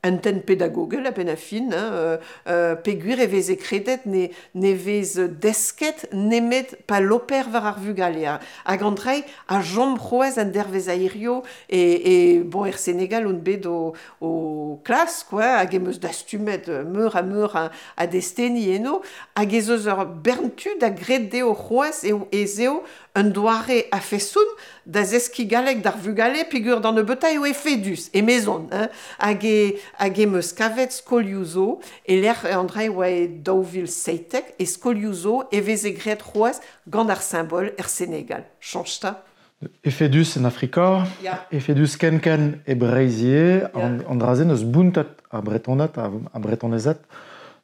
un tenn pedagogel a-benn ar fin, hein, euh, euh, peogwir e veze kredet ne, ne vez desket nemet pa loper war ar vugale. Hag an dra a chom c'hoazh an dervezh a hirio e, e bon, er Senegal on bet o, o klas, quoi, hag em eus dastumet meur ha meur a, a desteni eno, hag ez eus ur bern tud a gred dezho c'hoazh eo ez eo un doare a fesoun da zeski galleg d'ar vugale peogwir d'an nebeutañ eo efedus, emezon, hein. Hag e, hag e meus kavet skolioù zo, e lec'h an dra e oa e daou vil seitek, e skolioù zo e veze graet c'hoazh gant ar simbol er Senegal. Chañch 'ta. Efedus en Afrika, Ya. efedus ken-ken e Breizh ivez, Ya. an, an dra-se n'eus bountet ar Bretoned, ar, ar Bretonezed,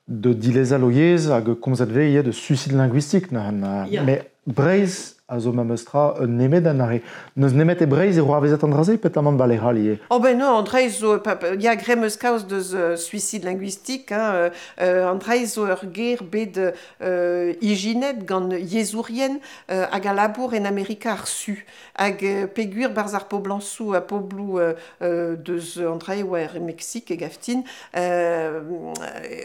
de dilezal o yezh hag komzet vez ivez de suicide linguistique neuze. Ya. Mais Breizh a zo memes tra un nemet an arre. N'eus nemet e Breizh e c'hoarvezet an dra-se, petamant ba lec'h all ivez. Oh ben non, an dra zo, pa, pa, ya graet 'm eus kaoz deus euh, suicide linguistique, hein, euh, euh, an dra zo ur ger bet euh, ijinet gant yezhourien euh, hag a labour en Amerika ar Su. Hag euh, peogwir barzh ar poblañsoù ha pobloù euh, euh, deus an dra e oa er Meksik e gaftin, euh,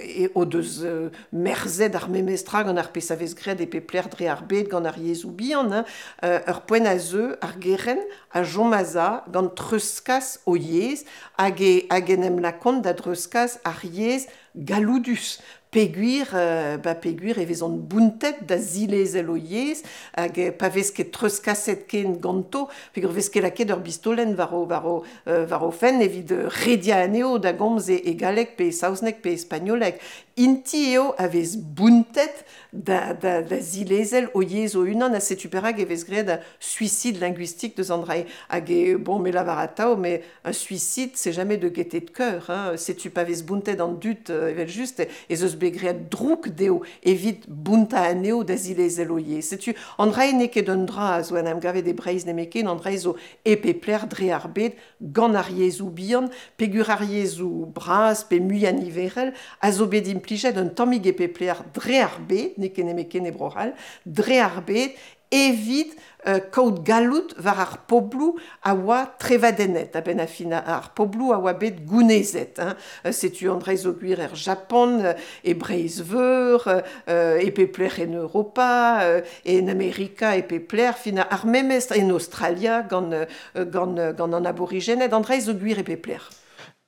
e o deus euh, merzet ar memes tra gant ar pezh a vez graet e pep lec'h dre ar bed gant ar yezhoù bihan, hein, euh, ur poent a zeu ar gerent a chom a-za gant treuzkas o yezh hag e, hag en em lakont da dreuzkas ar yezh galloudus. Peogwir, euh, ba peogwir e vezont bountet da zilezel o yezh hag euh, pa vez ket treuzkaset ken ganto, peogwir vez ket lakaet ur bistolenn war o, war o, euh, war o fenn evit rediañ anezho da gomz e, e galleg pe e saozneg pe e spagnoleg. Inti eo a vez bountet da, da, da zilezel o yezh o-unan ha setu perak e vez graet un suicide linguistique deus an dra-se. Hag e, bon, me lavar atav, mais un suicide, c'est jamais de gaieté de cœur, hein. Setu pa vez bountet an dud, euh, evel just, ez eus bet graet drouk dezho evit bountañ anezho da zilezel o yezh. Setu an dra-se n'eo ket un dra a zo en em gavet e Breizh nemetken, an dra-se zo e pep lec'h dre ar bed gant ar yezhoù bihan, peogwir ar yezhoù bras pe muiañ niverel a zo bet implijet un tammig e pep lec'h dre ar bed, n'eo ket nemetken e Bro-C'hall, dre ar bed evit euh, kaout galloud war ar pobloù a oa trevadennet, a-benn ar fin ar pobloù a oa bet gounezet. Hein. Euh, setu an dra zo gwir er Japon, euh, e Breizh-Veur, euh, e pep lec'h en Europa, euh, en Amerika e pep lec'h, fin ar memes en Australia gant, euh, gant, gant an aborigened, an dra zo gwir e pep lec'h.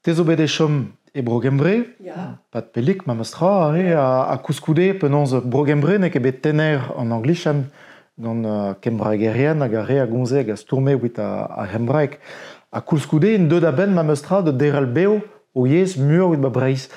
Te zo bet e chom e Bro-Gembre, Ya. pat pellik memes tra, eh, ha, ha koulskoude penaos Bro-Gembre n'eo ket bet tener an anglichan gant uh, kembraegerien hag ar re a gomze hag a stourme evit ar, ar c'hembraeg. Ha koulskoude en deut a-benn memes tra de derc'hel bev o yezh muioc'h evit ba Breizh.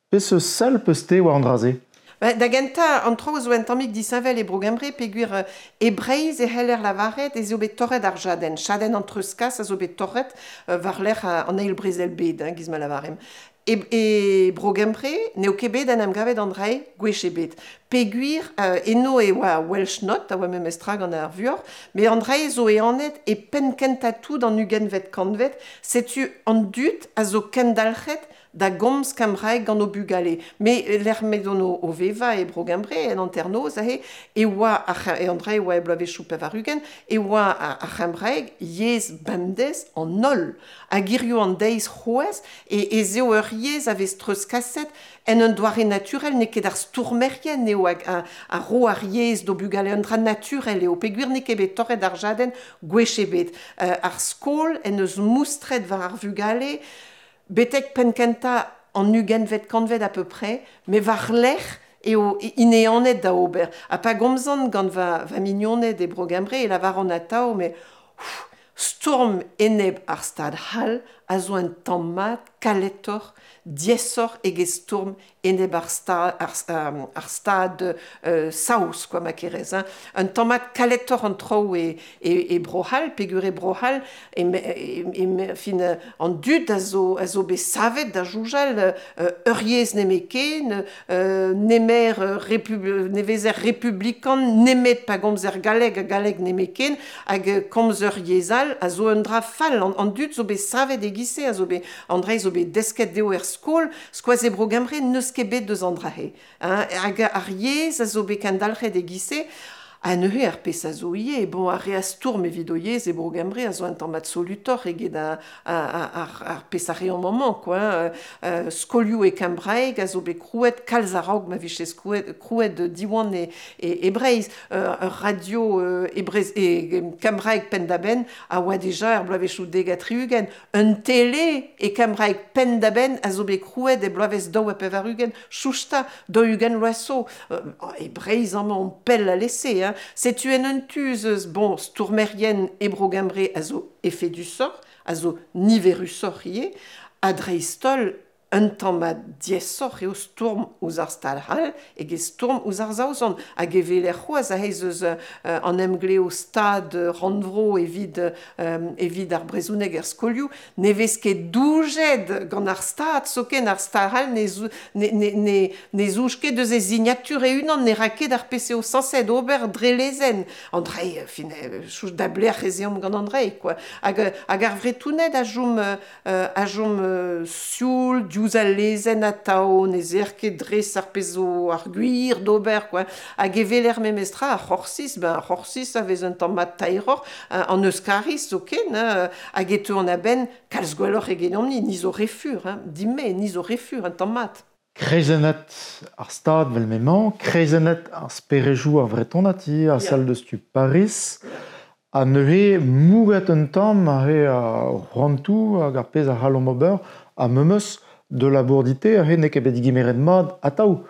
Peseurt sell peus te war an dra-se? Ba, da gentañ, an traoù zo un tammig disheñvel e Bro-Gembre peogwir euh, e Breizh e c'heller lavaret ez eo bet torret ar jadenn. Chadenn an treuzkas a zo bet torret euh, war-lerc'h an eil brezel bed, hein, giz ma lavaremp. E, e Bro-Gembre n'eo ket bet en em gavet an dra-se gwech ebet. Peogwir euh, eno e oa Welsh Not, a oa memes tra gant ar vuoc'h, met an dra-se zo ehanet e penn kentañ tout an ugentvet kantved, setu an dud a zo kendalc'het da gomz kembraeg gant o bugale. Me lec'h m'edon o, o vevañ e Bro-Gembre, en hanternoz aze, e oa ar c'he-, e an dra-se e oa e bloavezhioù pevar-ugent, e oa ar, ar c'hembraeg yezh bemdez an holl. Hag hiziv an deiz c'hoazh, e, ez eo ur yezh a vez treuzkaset en un doare naturel, n'eo ket ar stourmerien eo hag a, a ro ar yezh d'o bugale, un dra naturel eo, peogwir n'eo ket bet torret ar jadenn gwech ebet. Euh, ar skol en deus moustret war ar vugale, betek penn kentañ an ugentvet kantved à peu près, met war-lerc'h eo int ehanet da ober. Ha pa gomzan gant va, va mignoned e Bro-Gembre e lavaran atav, mais ouf, stourm enep ar stad c'hall a zo un tamm mat kaletoc'h, diaesoc'h eget stourm enep ar sta-, ar, euh, ar stad, euh, saoz, quoi, ma kerez, hein. Un tamm mat kaletoc'h an traoù e, e, e Bro-C'hall, peogwir e Bro-C'hall, e me, e, e me, fin, an dud a zo, a zo bet savet da soñjal, euh, ur yezh nemetken, euh, nemer, euh, repub-, ne vezer republikan, nemet pa gomzer galleg ha galleg nemetken, hag, euh, komz ur yezh all a zo un dra fall. An, an dud zo bet savet e-giz-se, a zo bet, an dra zo bet desket dezho er skol, skoaz e Bro-Gembre n'eus ket bet deus an dra-se, hein. Hag ar yezh a zo bet kendalc'het e-giz-se, ha neuze ar pezh a zo ivez, bon, ar re a stourm evit o yezh e Bro-Gembre a zo un tamm absolutoc'h eget a, a, a, ar, ar pezh a reomp amañ, quoi, hein. Euh, skolioù e kembraeg a zo bet krouet kalz a-raok ma vije skouet, krouet Diwan e, e, e Breizh. Euh, ur radio, euh, e Breizh, e, e kembraeg penn-da-benn a oa deja er bloavezhioù dek ha tri-ugent. Un tele e kembraeg penn-da-benn a zo bet krouet e bloavezh daou ha pevar-ugent, chouchta, daou-ugent vloaz zo. Euh, e Breizh amañ on pell alese, hein. Hein. Setu en un tu eus, bon, stourmerien e Bro-Gembre a zo efedusoc'h, a zo niverusoc'h ivez, ha dreist-holl un tamm diaesoc'h eo stourm ouzh ar Stad c'hall eget stourm ouzh ar Saozon. Hag e weler c'hoazh aze eus euh, an emglev Stad rannvro evit, euh, evit ar brezhoneg er skolioù, ne vez ket doujet gant ar Stad, zoken ar Stad c'hall ne, zou, ne, ne, ne, ne zouj ket eus e signatur e-unan, ne ra ket ar pezh eo sañset ober dre lezenn. Andrei, fin, chouch da blec'h ez eomp gant Andrei, quoi. Hag, hag ar Vretoned a chom, a chom sioul, diouzh al lezenn atav, ne zer ket dres ar pezh zo ar gwir d'ober, quoi. Hag e weler memestra ar C'horsiz, ben ar C'horsiz a vez un tamm mat taeroc'h, an Euskariz zoken, hein, hag e teu an a-benn kalz gwelloc'h egedomp-ni, ni zo re fur, hein, dimme, ni zo re fur un tamm mat. Kreizennet ar Stad vel m'emañ, kreizennet ar sperejoù ar Vretonad ivez, a sell deus tu Paris, ha neuze mouget un tamm ar re ar c'hoantoù hag ar pezh a c'hallomp ober, ha memes de labour-dite, ar re n'eo ket bet digemeret mat atav.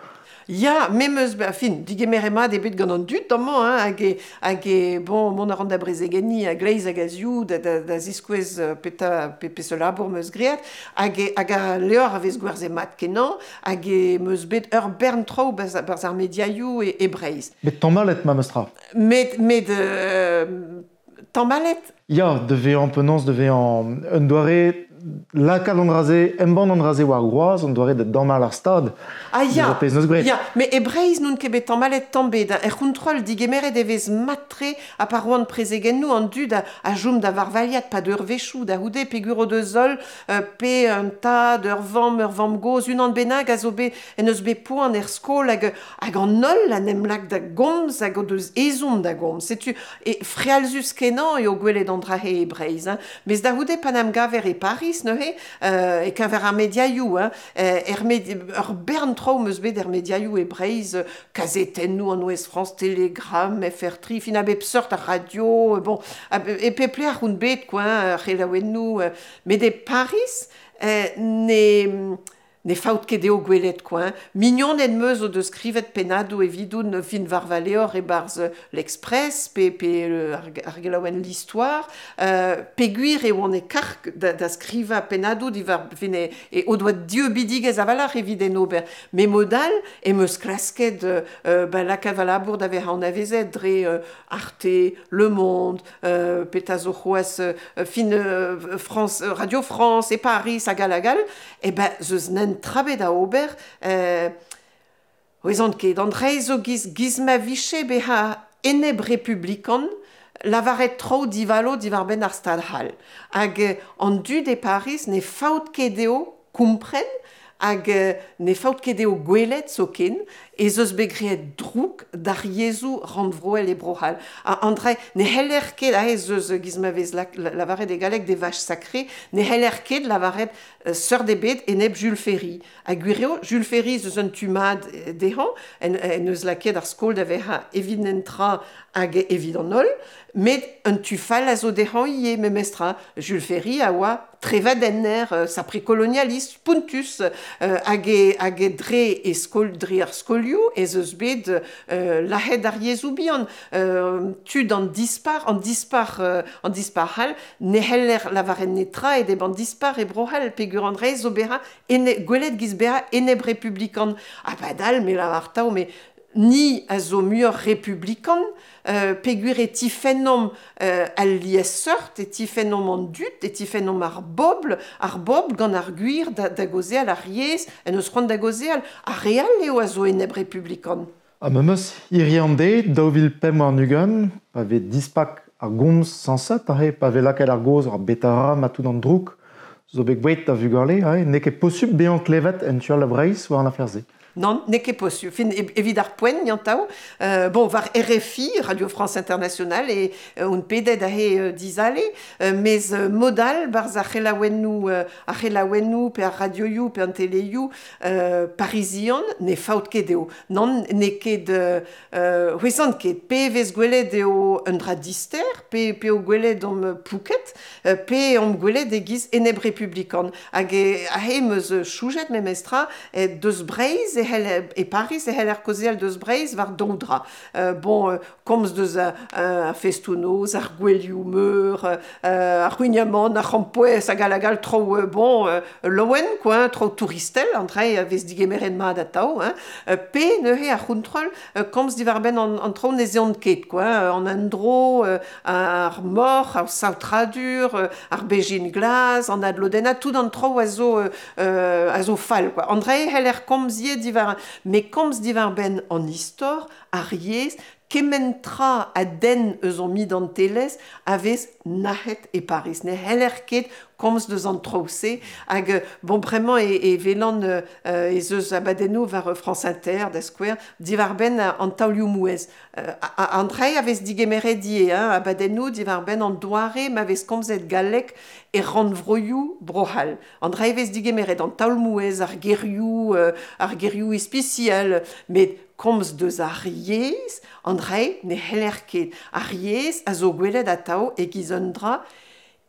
Ya, memes, ben, fin, digemeret mat eo bet gant an dud amañ, hein, hag e, hag e, bon, mont a ran da brezegenniñ a gleiz hag a ziv da, da, da ziskouez peta, pe, peseurt labour 'm eus graet, hag e, hag al levr a vez gwerzhet mat kenañ, hag e 'm eus bet ur bern traoù barzh, barzh ar mediaioù e, e Breizh. Met tamallet memes tra. Met, met, euh, tamallet? Ya, da vezañ penaos, da vezañ un doare lakaat an dra-se, embann an dra-se war groaz, an doare da damall ar Stad. Ah ya, Deus ar pezh neus graet. Ya, met e Breizh n'on ket bet tamallet tamm bet. Er c'hontrol, digemeret e vez mat-tre ha pa roan prezegennoù an dud a, a chom da varvailhat pa deurvezhioù da c'houde peogwir o deus holl, euh, pe un tad, ur vamm, ur vamm-gozh, unan bennak a zo bet, en eus bet poan er skol hag, hag an holl en em lak da gomz hag o deus ezhomm da gomz. Setu, e frealzus kenañ eo gwelet an dra-se e Breizh. Hein. Mes da c'houde pa 'n em gaver e Paris neuze, euh, e keñver ar mediaioù, hein, er med, ur bern traoù 'm eus bet er mediaioù e Breizh, kazetennoù an Ouest France, Telegram, F R tri, fin a bep seurt ar radio, bon, a, e pep lec'h on bet, quoi, hein, ar c'helaouennoù, met e Paris, euh, ne, ne faot ket dezho gwelet, quoi, hein. Mignoned 'm eus o deus skrivet pennadoù evidoun fin war va levr e-barzh l'Express, pe, pe ar, ar gelaouenn l'Histoire, euh, peogwir e oan e karg da, da skrivañ pennadoù diwar fin e, e o doa dieubidigezh a-walc'h evit en ober. Met mod all em eus klasket euh, ben, lakaat va labour da vezañ anavezet dre euh, Arte, Le Monde, euh, petra zo c'hoazh, euh, fin euh, France, Radio France e Paris hag all hag all, e ben, zeus nen trabet da ober, euh, ouezont ket, an dre zo giz, giz ma vije bezañ enep republikan, lavaret traoù divalo diwar-benn ar Stad c'hall. Hag an dud e Paris ne faot ket dezho kompren, hag ne faot ket dezho gwelet zoken, ez eus bet graet droug d'ar yezhoù rannvroel e Bro-C'hall. Ha an dre, ne c'heller ket, aze eus giz ma vez la, lavaret e galleg des vaches sacrées, ne c'heller ket lavaret euh, seurt ebet enep Jules Ferry. Ha gwir eo, Jules Ferry eus un tu mat dezhañ, en, en eus lakaet ar skol da vezañ evit an tra hag evit an holl, met un tu fall a zo dezhañ ivez memestra. Jules Ferry a oa trevadenner, euh, sapre-kolonialist, pontus, euh, hag e, hag e dre e skol, dre ar skolioù, ez eus bet euh, lahet ar yezhoù bihan. Euh, tud an dispar, an dispar, euh, an dispar c'hall, ne c'heller lavaret netra e deb an dispar e Bro-C'hall, peogwir an dre zo bezañ ene, gwelet giz bezañ enep republikan. Ha padal, me lavar tav, me ni a zo muioc'h republikan, euh, peogwir e tifennomp euh, al liesseurt, e tifennomp an dud, e tifennomp ar bobl, ar bobl gant ar gwir da, da gaozeal ar yezh, en eus c'hoant da gaozeal, ar re all eo a zo enep republikan. Ha memes hiziv an deiz, daou vil pemp warn-ugent, pa vez dispak ar gomz sañset, aze, pa vez lakaet ar gaoz ar betara ma tout an droug, zo bet gwelet da vugale, aze, n'eo ket posupl bezañ klevet en tu all a Breizh war an afer-se. Non, n'eo ket posupl. Fin, evit ar poent, niantav. Euh, bon, war R F I, Radio France Internationale, e euh, on pedet aze euh, dizale, euh, mez euh, modal, barz ar c'helaouennoù, euh, ar c'helaouennoù, pe ar radioioù, pe an teleioù, euh, parisian, ne faot ket eo. Non, n'eo ket, euh, c'hwezant ket, pe vez gwelet eo un dra dister, pe, pe o gwelet om pouket, euh, pe om gwelet e giz enep republikan. Hag e, aze em eus choujet memestra, e deus Breizh, e c'hell, e Paris e c'heller kaozeal deus Breizh war daou dra. Euh, bon, euh, komz deus a, a festoù-noz, ar gouelioù meur, euh, ar c'houignamant, ar c'hrampouezh hag all hag all traoù euh, bon, euh, laouen, quoi, traoù touristel, an dra-se a vez digemeret mat atav, hein. Euh, pe neuze ar c'hontrol, euh, komz diwar-benn an, an traoù ne zeont ket, quoi, an endro, euh, ar moc'h, ar saotradur, euh, ar bezhin glas, an adlodennañ, tout an traoù a zo, euh, a zo fall, quoi. An dra-se c'heller komz ivez diwar, met komz diwar-benn an istor, ar yezh, kement tra a denn eus hon identelezh a vez nac'het e Paris. Ne c'heller ket komz deus an traoù-se hag bon bremañ e, e welan euh, ez eus abadennoù war France Inter da skouer diwar-benn an taolioù-mouezh. Euh, an dra-se a vez digemeret ivez, hein, abadennoù diwar-benn an doare ma vez komzet galleg e rannvroioù Bro-C'hall. An dra-se vez digemeret an taol-mouezh, ar gerioù, euh, ar gerioù ispisial, met komz deus ar yezh, an dra-se ne c'heller ket. Ar yezh a zo gwelet atav e-giz un dra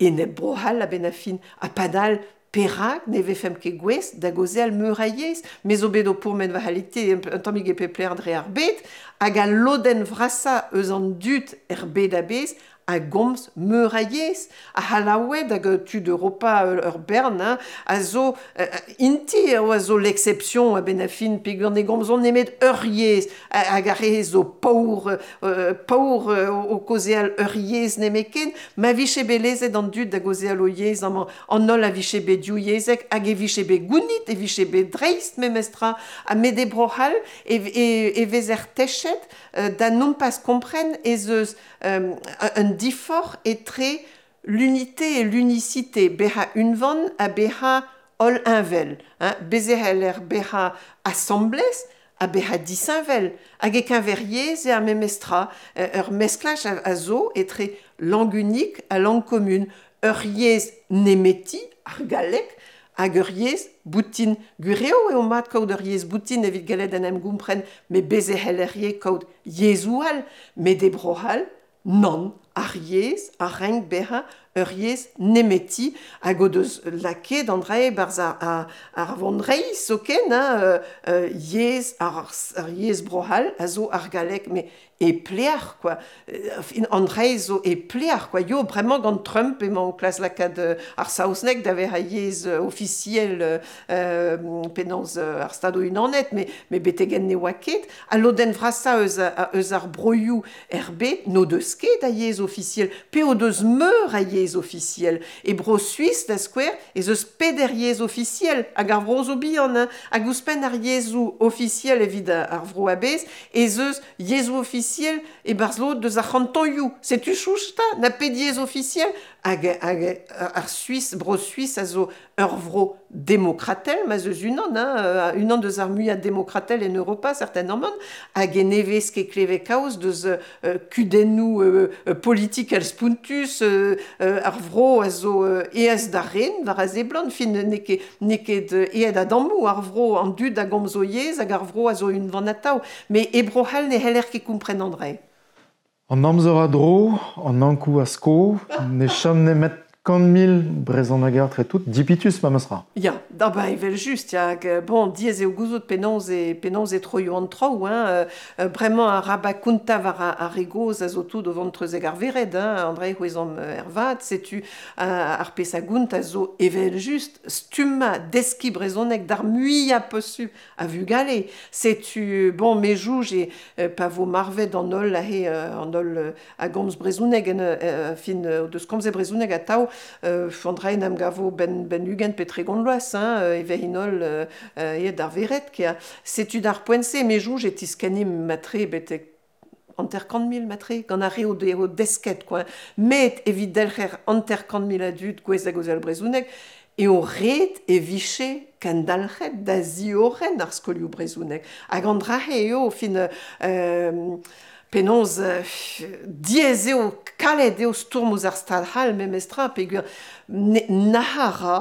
enep Bro-C'hall a-benn ar fin. Ha padal perak ne vefemp ket gouest da gaozeal meur a yezh. Me zo bet o pourmen war halite un tammig e pep lec'h dre ar bed, hag al lodenn vrasañ eus an dud er bed a-bezh a gomz meur a yezh, ar C'hallaoued hag tud Europa ur bern, hein, a zo euh, inti eo a zo l'exception a-benn ar fin peogwir ne gomzont nemet ur yezh, hag ar re zo paour, euh, paour euh, o kaozeal ur yezh nemetken, ma vije bet lezet an dud da gaozeal o yezh amañ, an holl a vije bet div yezhek, hag e vije bet gounit, e vije bet dreist memestra, ha met e Bro-C'hall e, e, e vezer techet euh, da nompas kompren ez eus euh, un diforc'h etre l'unité et l'unicité, bezañ unvan ha bezañ holl heñvel, hein, bez' e c'heller bezañ asambles ha bezañ disheñvel, hag e-keñver yezh eo ar memestra, ur mesklaj a, a zo etre langue unique ha langue commune, ur yezh nemeti, ar galleg, hag ur yezh boutin. Gwir eo eo mat kaout ur yezh boutin evit gallet en em gompren, met bez' e c'heller ivez kaout yezhoù all, met e Bro-C'hall, nann, ar yezh a renk bezañ ur yezh nemeti hag o deus lakaet an dra-se 'barzh ar, ar, ar vonreizh zoken, hein, euh, yezh ar, ar yezh Bro-C'hall a zo ar galleg, met e pleac'h, quoi. An dra-se zo e pleac'h, quoi. Yo, bremañ gant Trump emañ o klask lakaat ar saozneg da vezañ yezh ofisiel euh, penaos ar Stadoù-Unanet, met, met betek-henn ne oa ket. Al lodenn vrasañ eus, eus ar broioù er bed n'o deus ket a yezh ofisiel, pe o deus meur a yezh ofisiel. E Bro-Suis, da skouer, ez eus peder yezh ofisiel, hag ar vro zo bihan, hein, hag ouzhpenn ar yezhoù ofisiel evit ar vro a-bezh, ez eus yezhoù ofisiel e-barzh lod deus ar c'hantonioù. Setu chouch 'ta, na pet yezh ofisiel, hag, hag ar Suis, Bro-Suis a zo ur vro demokratel, ma 'z eus unan, hein, unan deus ar muiañ demokratel en Europa, certainement, hag e ne vez ket klevet kaoz deus euh, kudennoù euh, politikel spontus, euh, ar vro a zo euh, aes da ren, war a seblant, fin n'eo ket, n'eo ket aet a-dammoù ar vro an dud a gomz o yezh hag ar vro a zo unvan atav, met e Bro-C'hall ne c'heller ket kompren an dra-se. An amzer a dro, an Ankou a sko, ne chom nemet kant mil brezhoneger tre tout, dipitus memestra. Ya, da ba evel just, ya, hag, bon, diaes eo gouzout penaos e, penaos e troio an traoù, hein, euh, bremañ ar rabat kontañ war ar, ar re gozh a zo tout o vont treuzek ar vered, hein, an dra-se c'hwezomp ervat, setu ar pezh a gount a zo evel just stummañ deskiñ brezhoneg d'ar muiañ posupl a vugale. Setu, bon, me jouj e pa vo marvet an holl aze, an holl a gomz brezhoneg en euh, fin deus komzet brezhoneg atav, Euh, an dra-se n'am gavo ben, ben ugent pe tregont vloaz, hein, e vez holl euh, aet d'ar vered, kea. Setu d'ar poent-se, me jouj e tiskennim matre betek hanter-kant mil matre, gant ar re o de, o desket, quoi. Met evit delc'her hanter-kant mil a dud gouest da gaozeal brezhoneg, eo ret e vije kendalc'het da ziorren ar skolioù brezhoneg. Hag an dra-se eo, fin... Euh, penaos euh, diaes eo, kalet eo stourm ouzh ar stad c'hall memestra, peogwir nac'h a ra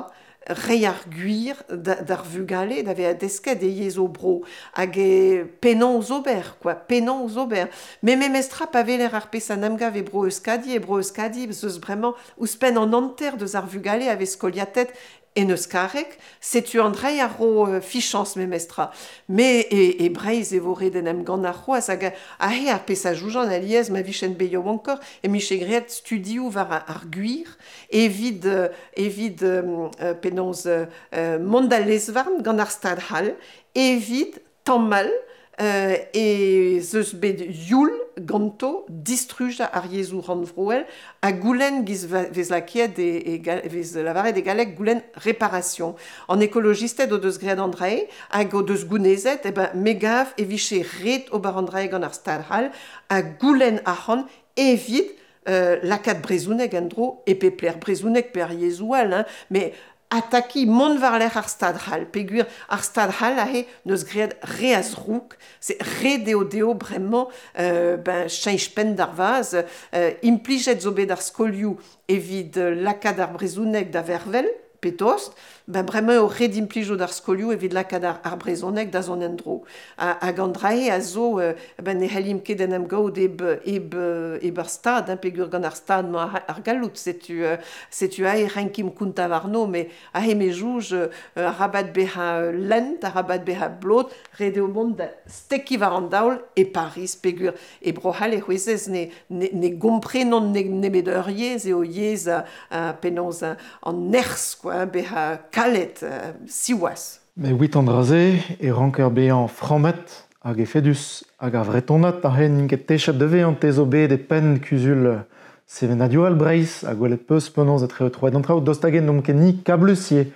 reiñ ar gwir d'ar vugale da vezañ desket e yezh o bro, hag e penaos ober, quoi, penaos ober. Met memestra pa weler ar pezh an emgav e bro Euskadi, e bro Euskadi, eus bremañ ouzhpenn an hanter deus ar vugale a vez skoliatet en euskareg, setu an dra a ro uh, fichañs memestra. Me e, e Breizh e vo ret en em gant ar c'hoazh hag ahe ar pezh a joujan alies ma vichen bet yaouankoc'h e miche graet studioù war ar gwir evit, uh, evit uh, penaos uh, mont da lezvarn gant ar stad c'hall evit tammal uh, e zeus bet youl ganto distrujañ ar yezhoù rannvroel ha goulenn giz vez lakaet e, e, vez lavaret e galleg goulenn réparation. An ekolojisted o deus graet an drae hag o deus gounezet, e ben me gav e vije ret ober an drae gant ar stad c'hall ha goulenn arc'hant evit euh, lakaat brezhoneg en-dro e pep lec'h brezhoneg pe ar yezhoù all, hein, mais ataki mont war-lerc'h ar stad c'hall, peogwir ar stad c'hall aze neus graet re a zroug, c'est re deo deo bremañ euh, ben cheñch penn d'ar vaz, euh, implijet zo bet ar skolioù evit lakaat ar brezhoneg da vervel, pe tost, ben bremañ eo ret implijout ar skolioù evit lakaat ar, ar brezhoneg da zont en-dro. Hag an drae a zo, euh, ben ne c'hellimp ket en em gaout eb, eb, eb ar stad, hein, peogwir gant ar stad mañ ar, ar galloud, setu, euh, setu aze renkimp kontañ warno, met aze me jouj euh, arabat bezañ lent, arabat bezañ blot, ret eo mont da stekiñ war an daol e Pariz, peogwir e Bro-C'hall e c'hwezez ne, ne, ne gomprenont ne, nemet ur yezh eo yezh a, a penaos an nerzh, quoi, hein, bezañ kalet, euh, siwazh. Mais wit an dra-se e ranker bezañ frammet hag efedus hag ar Vretonad aze n'int ket techet da vezañ te zo bet e penn kuzul sevenadurel Breizh ha gwelet peus penaos etre troet an traoù dost hag-en n'omp ket ni kablus ivez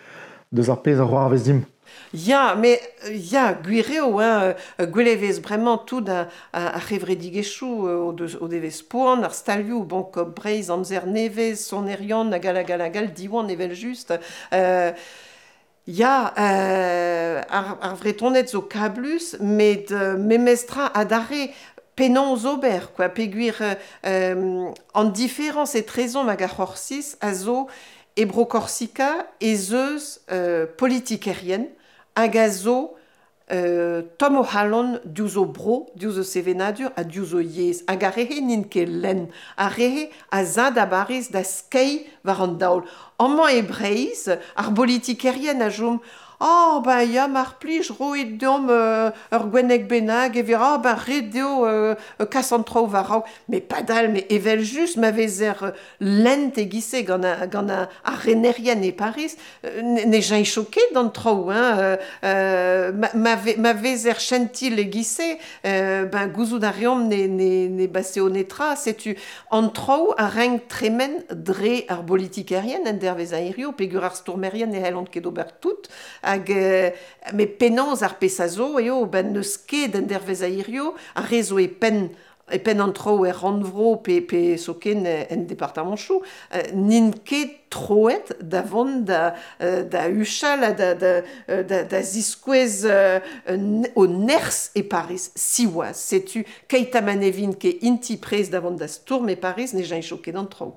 deus ar pezh a c'hoarvez dimp. Ya, mais ya, gwir eo, hein, gwelet e vez bremañ tout ar, ar c'hevredigezhioù o deus o devez poan, ar stalioù, bon, Coop Breizh, Amzer Nevez, Sonerion, hag all, hag all, hag all, Diwan evel-just. Euh, ya, euh, ar, ar Vretoned zo kablus, met euh, memestra adarre penaos ober, quoi, peogwir euh, an diferañs etrezomp hag ar C'horsiz a zo e Bro-Korsika ez eus euh, politikerien hag a zo euh, tomm o c'halon diouzh o bro, diouzh o sevenadur ha diouzh o yezh. Hag ar re-se n'int ket lenn. Ar re-se a za da Bariz da skeiñ war an daol. Amañ e Breizh, ar bolitikerien a chom Oh, ben ya, mar plij, roit deomp euh, ur gwenneg bennak, e vir, ah, ben ret eo euh, kas an traoù war-raok. Mais padal, mais evel-just, ma vezer lent e-giz-se gant a, gant a, ar renerien e Pariz, euh, ne cheñcho ket d'an traoù, hein, euh, ma, ma, ve, ma vezer chentil e-giz-se, euh, ben gouzout a reomp ne, ne, ne baseo netra, setu an traoù a renk tremen dre ar bolitikerien en dervez a hirio, peogwir ar stourmerien ne c'hellont ket ober tout, hag euh, me penaos ar pezh a zo eo ben n'eus ket en dervez a hirio, ar re zo e penn e penn an traoù er rannvro pe, pe zoken en departamanchoù, euh, n'int ket troet da vont da, da huchal ha da, da, da, da ziskouez euh, o nerzh e Pariz, siwazh. Setu keit ha ma ne vint ket inti prest da vont da stourm e Pariz, ne cheñcho ket an traoù.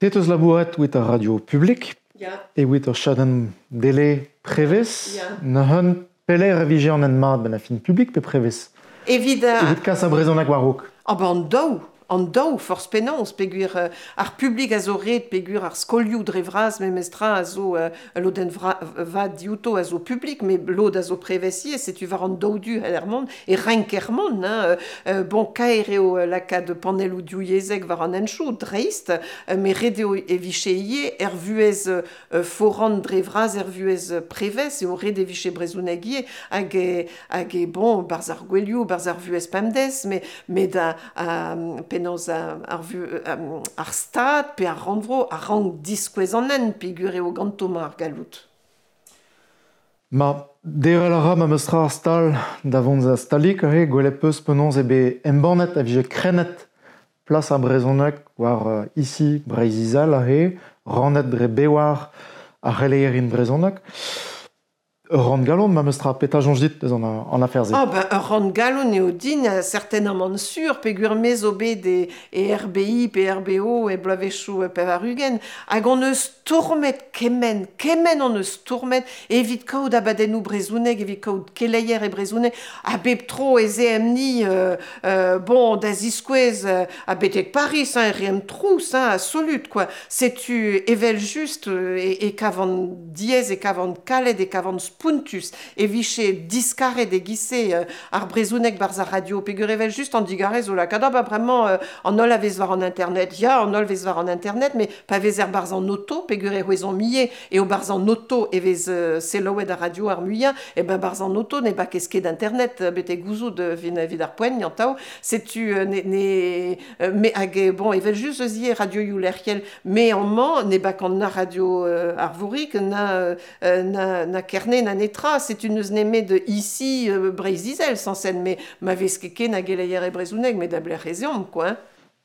Te teus labouret wit ar radio publik, Ya. e wit ur chadenn dele prevez, Ya. neuze pelec'h e vije an hent mat ben a fin publik pe prevez? Evit a... Evit kas ar brezhoneg war-raok. Ah ben an daou, an daou, forzh penaos, peogwir euh, ar publik a zo ret, peogwir ar skolioù dre vras memestra a zo euh, lodenn vra, vat diouto a zo publik, met lod a zo prevez ivez, setu war an daou du er mont, e renk er mont, hein, euh, bon, kaer eo lakaat panelloù divyezhek war an henchoù, dreist, euh, met ret eo e vije ivez er vuhez euh, foran dre vras, er vuhez prevez, eo ret e vije brezhoneg ivez, hag e, hag e, bon, barzh ar gwelioù, barzh ar vuhez pemdez, met, met a, a, penaos ar, ar, vu, ar stad pe ar rannvro a rank diskouez an hent peogwir eo ganto mañ ar galloud. Ma derel a ra ma meus tra ar stal da vont da stalik aze, gwelet peus penaos eo bet embannet a vije krennet plas ar brezhoneg war uh, ici Breizh-Izel aze, rannet dre bewar ar c'heleierin brezhoneg. Ur rann-galon, ma meus tra petra soñj dit eus an, an afer-se? Ah ben, ur rann-galon eo din, certainement sur, peogwir me zo bet e, e R B I pe R B O e bloavezhioù pevar-ugent, hag hon eus stourmet kement, kement hon eus stourmet evit kaout abadennoù brezhoneg, evit kaout keleier e brezhoneg, ha bep tro ez eemp-ni, euh, euh, bon, da ziskouez, euh, ha betek Paris, hein, e reemp trouz, hein, absolut, quoi. Setu evel just, euh, e, e kavan diaes, e kavan kalet, e kavan spontus, e vije diskaret e giz-se, euh, ar brezhoneg barzh ar radio, peogwir evel just an digarez zo lakaat, ah, bah, bremañ, euh, an holl a vez war an internet, ya, an holl vez war an internet, mais pa vezer barzh an auto, peogwir e c'hwezomp ivez, eo barzh an auto e vez, euh, selaouet ar radio ar muiañ, e ben barzh an auto ne bakez ket internet, euh, betek gouzout, euh, vin, evit ar poent, yantav, setu, euh, ne, ne, euh, me hag, euh, bon, evel just eus ivez radio Youlerc'hiel, mais en mañ ne bak an na radio, euh, Arvorig, na, euh, na, na Kerne, na netra, setu n'eus nemet de ici, euh, Breizh-Izel, sans scène, mais ma vez ket ken hag eleier e brezhoneg, met da blec'h ez eomp, quoi, hein.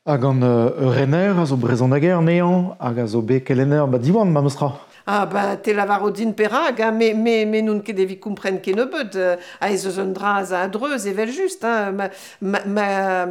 Hag an, euh, rener a zo brezhoneger anezhañ, hag a zo bet kelenner ba Diwan, ma meus tra. Ah, ben, te lavaro din perak, hein, me, me, me n'on ket evit kompren kennebeut, euh, ha ez eus un dra a dreuz evel just, hein, ma, ma, ma,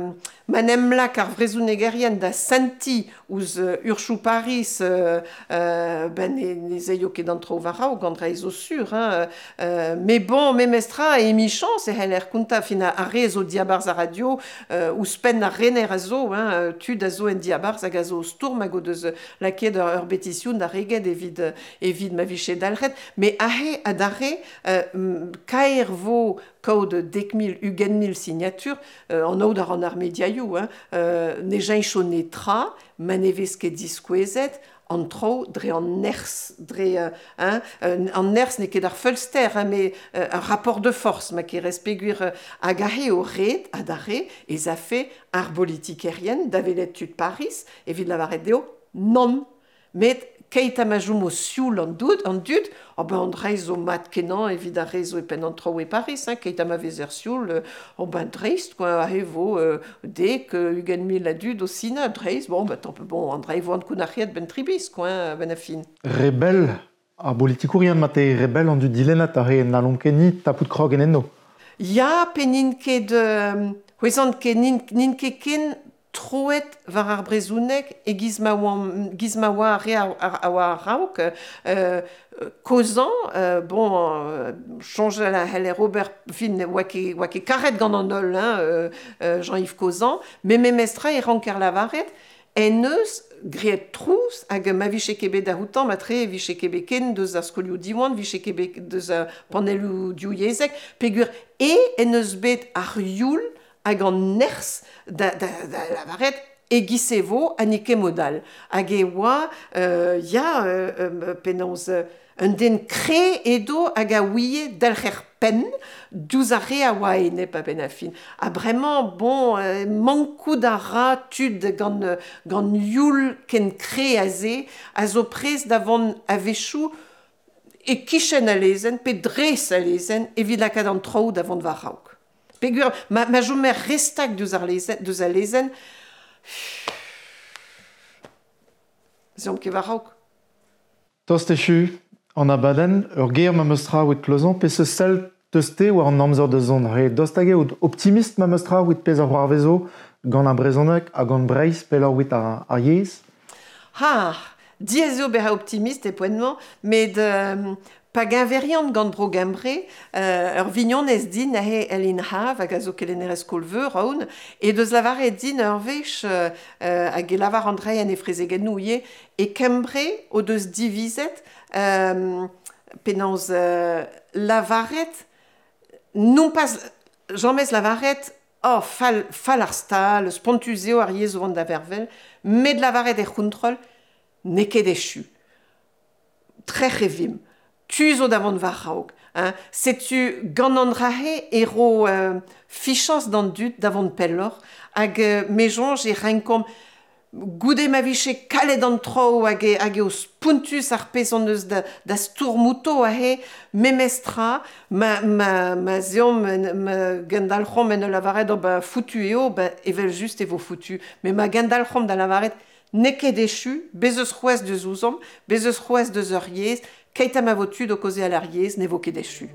ma n'em lak ar vrezhonegerien da senti ouzh, euh, urchoù Paris, euh, euh, ben, ne, ne zeio ket an traoù war raok, an dra zo sur, hein, euh, mais bon, memestra, e emichañs e c'heller kontañ fin ar re zo diabarzh ar radio, euh, ouzhpenn ar rener a zo, hein, tud a zo en diabarzh hag a zo stourm hag o deus lakaet ur, ur betision da reget evit, evit ma vije dalc'het, mais ahe adarre, euh, m-, kaer vo kaout dek mil, ugent mil signatur, euh, an aod ar an ar mediaioù, hein, euh, ne jañcho netra, ma ne vez ket diskouezet, an traoù dre an nerzh, dre, euh, hein, euh, an nerzh n'eo ket ar feulster, hein, mais, euh, un rapport de force, ma kerez peogwir, euh, hag ahe o red, adarre, ez a fe ar politikerien da welet tud Paris, evit lavaret dezho, non, met keit ha ma chom o sioul an dud, an dud, oh ben an dra zo mat kenañ evit ar re zo e penn an traoù e Paris, hein, keit ha ma vezer sioul, euh, oh ben dreist, quoi, ahe vo, euh, dek, euh, ugent mil a dud o sina, dreist, bon, ben, tant pis, bon, an dra e vo an kounac'hiet ben tribis, quoi, hein, ben a fin. Rebel, ar politikourien ma te rebel an dud dilennat ar re n'hallomp ket ni tapout krog en enno. Ya, pe n'int ket, euh, c'hwezant ket, n'int, n'int ket ken troet war ar brezhoneg e giz ma oan, giz ma oa ar re a, a, a oa a-raok, euh, kozan, euh, bon, euh, soñjal a c'heller ober, fin, oa ket, oa ket karet gant an holl, hein, euh, euh, Jean-Yves Cozan, mais memestra e ranker lavaret, en eus graet trouz hag ma vije ket bet da houtan, ma tre vije ket bet ken deus ar skolioù Diwan, vije ket bet deus ar panelloù divyezhek, peogwir e en eus bet ar youl hag an nerzh da, da, da lavaret e giz e vo ha n'eo ket mod all. Hag e oa, euh, ya, euh, euh, penaos, euh, un den kre edo hag a ouie dalc'her penn diouzh ar re a oa enep a-benn ar fin. Ha bremañ, bon, euh, mankout a ra tud gant, euh, gant youl ken kre aze, a zo prest da vont a-wechoù e kichen a lezenn, pe dres a lezenn, evit lakaat an traoù da vont war raok. Peogwir, ma, ma chomer restak diouzh ar lezenn, diouzh al lezenn, zeomp ket war raok. Tost echu, an abadenn, ur ger ma meus tra oet klozañ, pe se sell teus te war an amzer da zont. Re dost hag eo optimist ma meus tra oet pezh ar c'hoarvezo gant ar brezhoneg hag gant Breizh pelloc'h oet ar, ar yezh? Ha, diaes eo bezañ optimist e poent-mañ, met, euh, pa geñverian gant bro Gembre, euh, ur vignonez din ahe Elin Hav, hag a zo kelennerez skol-veur, aon, e deus lavaret din ur wech, euh, euh, hag e lavar an dra en e frezegennoù ivez, e Kembre o deus divizet, euh, penaos, euh, lavaret, non pas jamez lavaret, oh, fall, fall ar stal, spontus eo ar yezh o vont da vervel, met lavaret er c'hontrol, n'eo ket echu. Trec'h e vimp. Tu zo da vont war raok, hein. Setu gant an drahe e ro, euh, fichañs d'an dud da vont pelloc'h, hag, euh, me soñj e renkomp goude ma vije kalet an traoù hag e, hag eo spontus ar pezh hon eus da, da stourmouto ahe, memestra, ma, ma, ma zeomp, ma, ma gendalc'homp en ul lavaret, oh, ba, foutu eo, ba, evel just e vo foutu. Mais ma gendalc'homp da lavaret, n'eo ket echu, bez eus c'hwezh deus ouzomp, bez eus c'hwezh deus ur yezh, Keit ha ma vo tud o kaozeal ar yezh ne vo ket echu.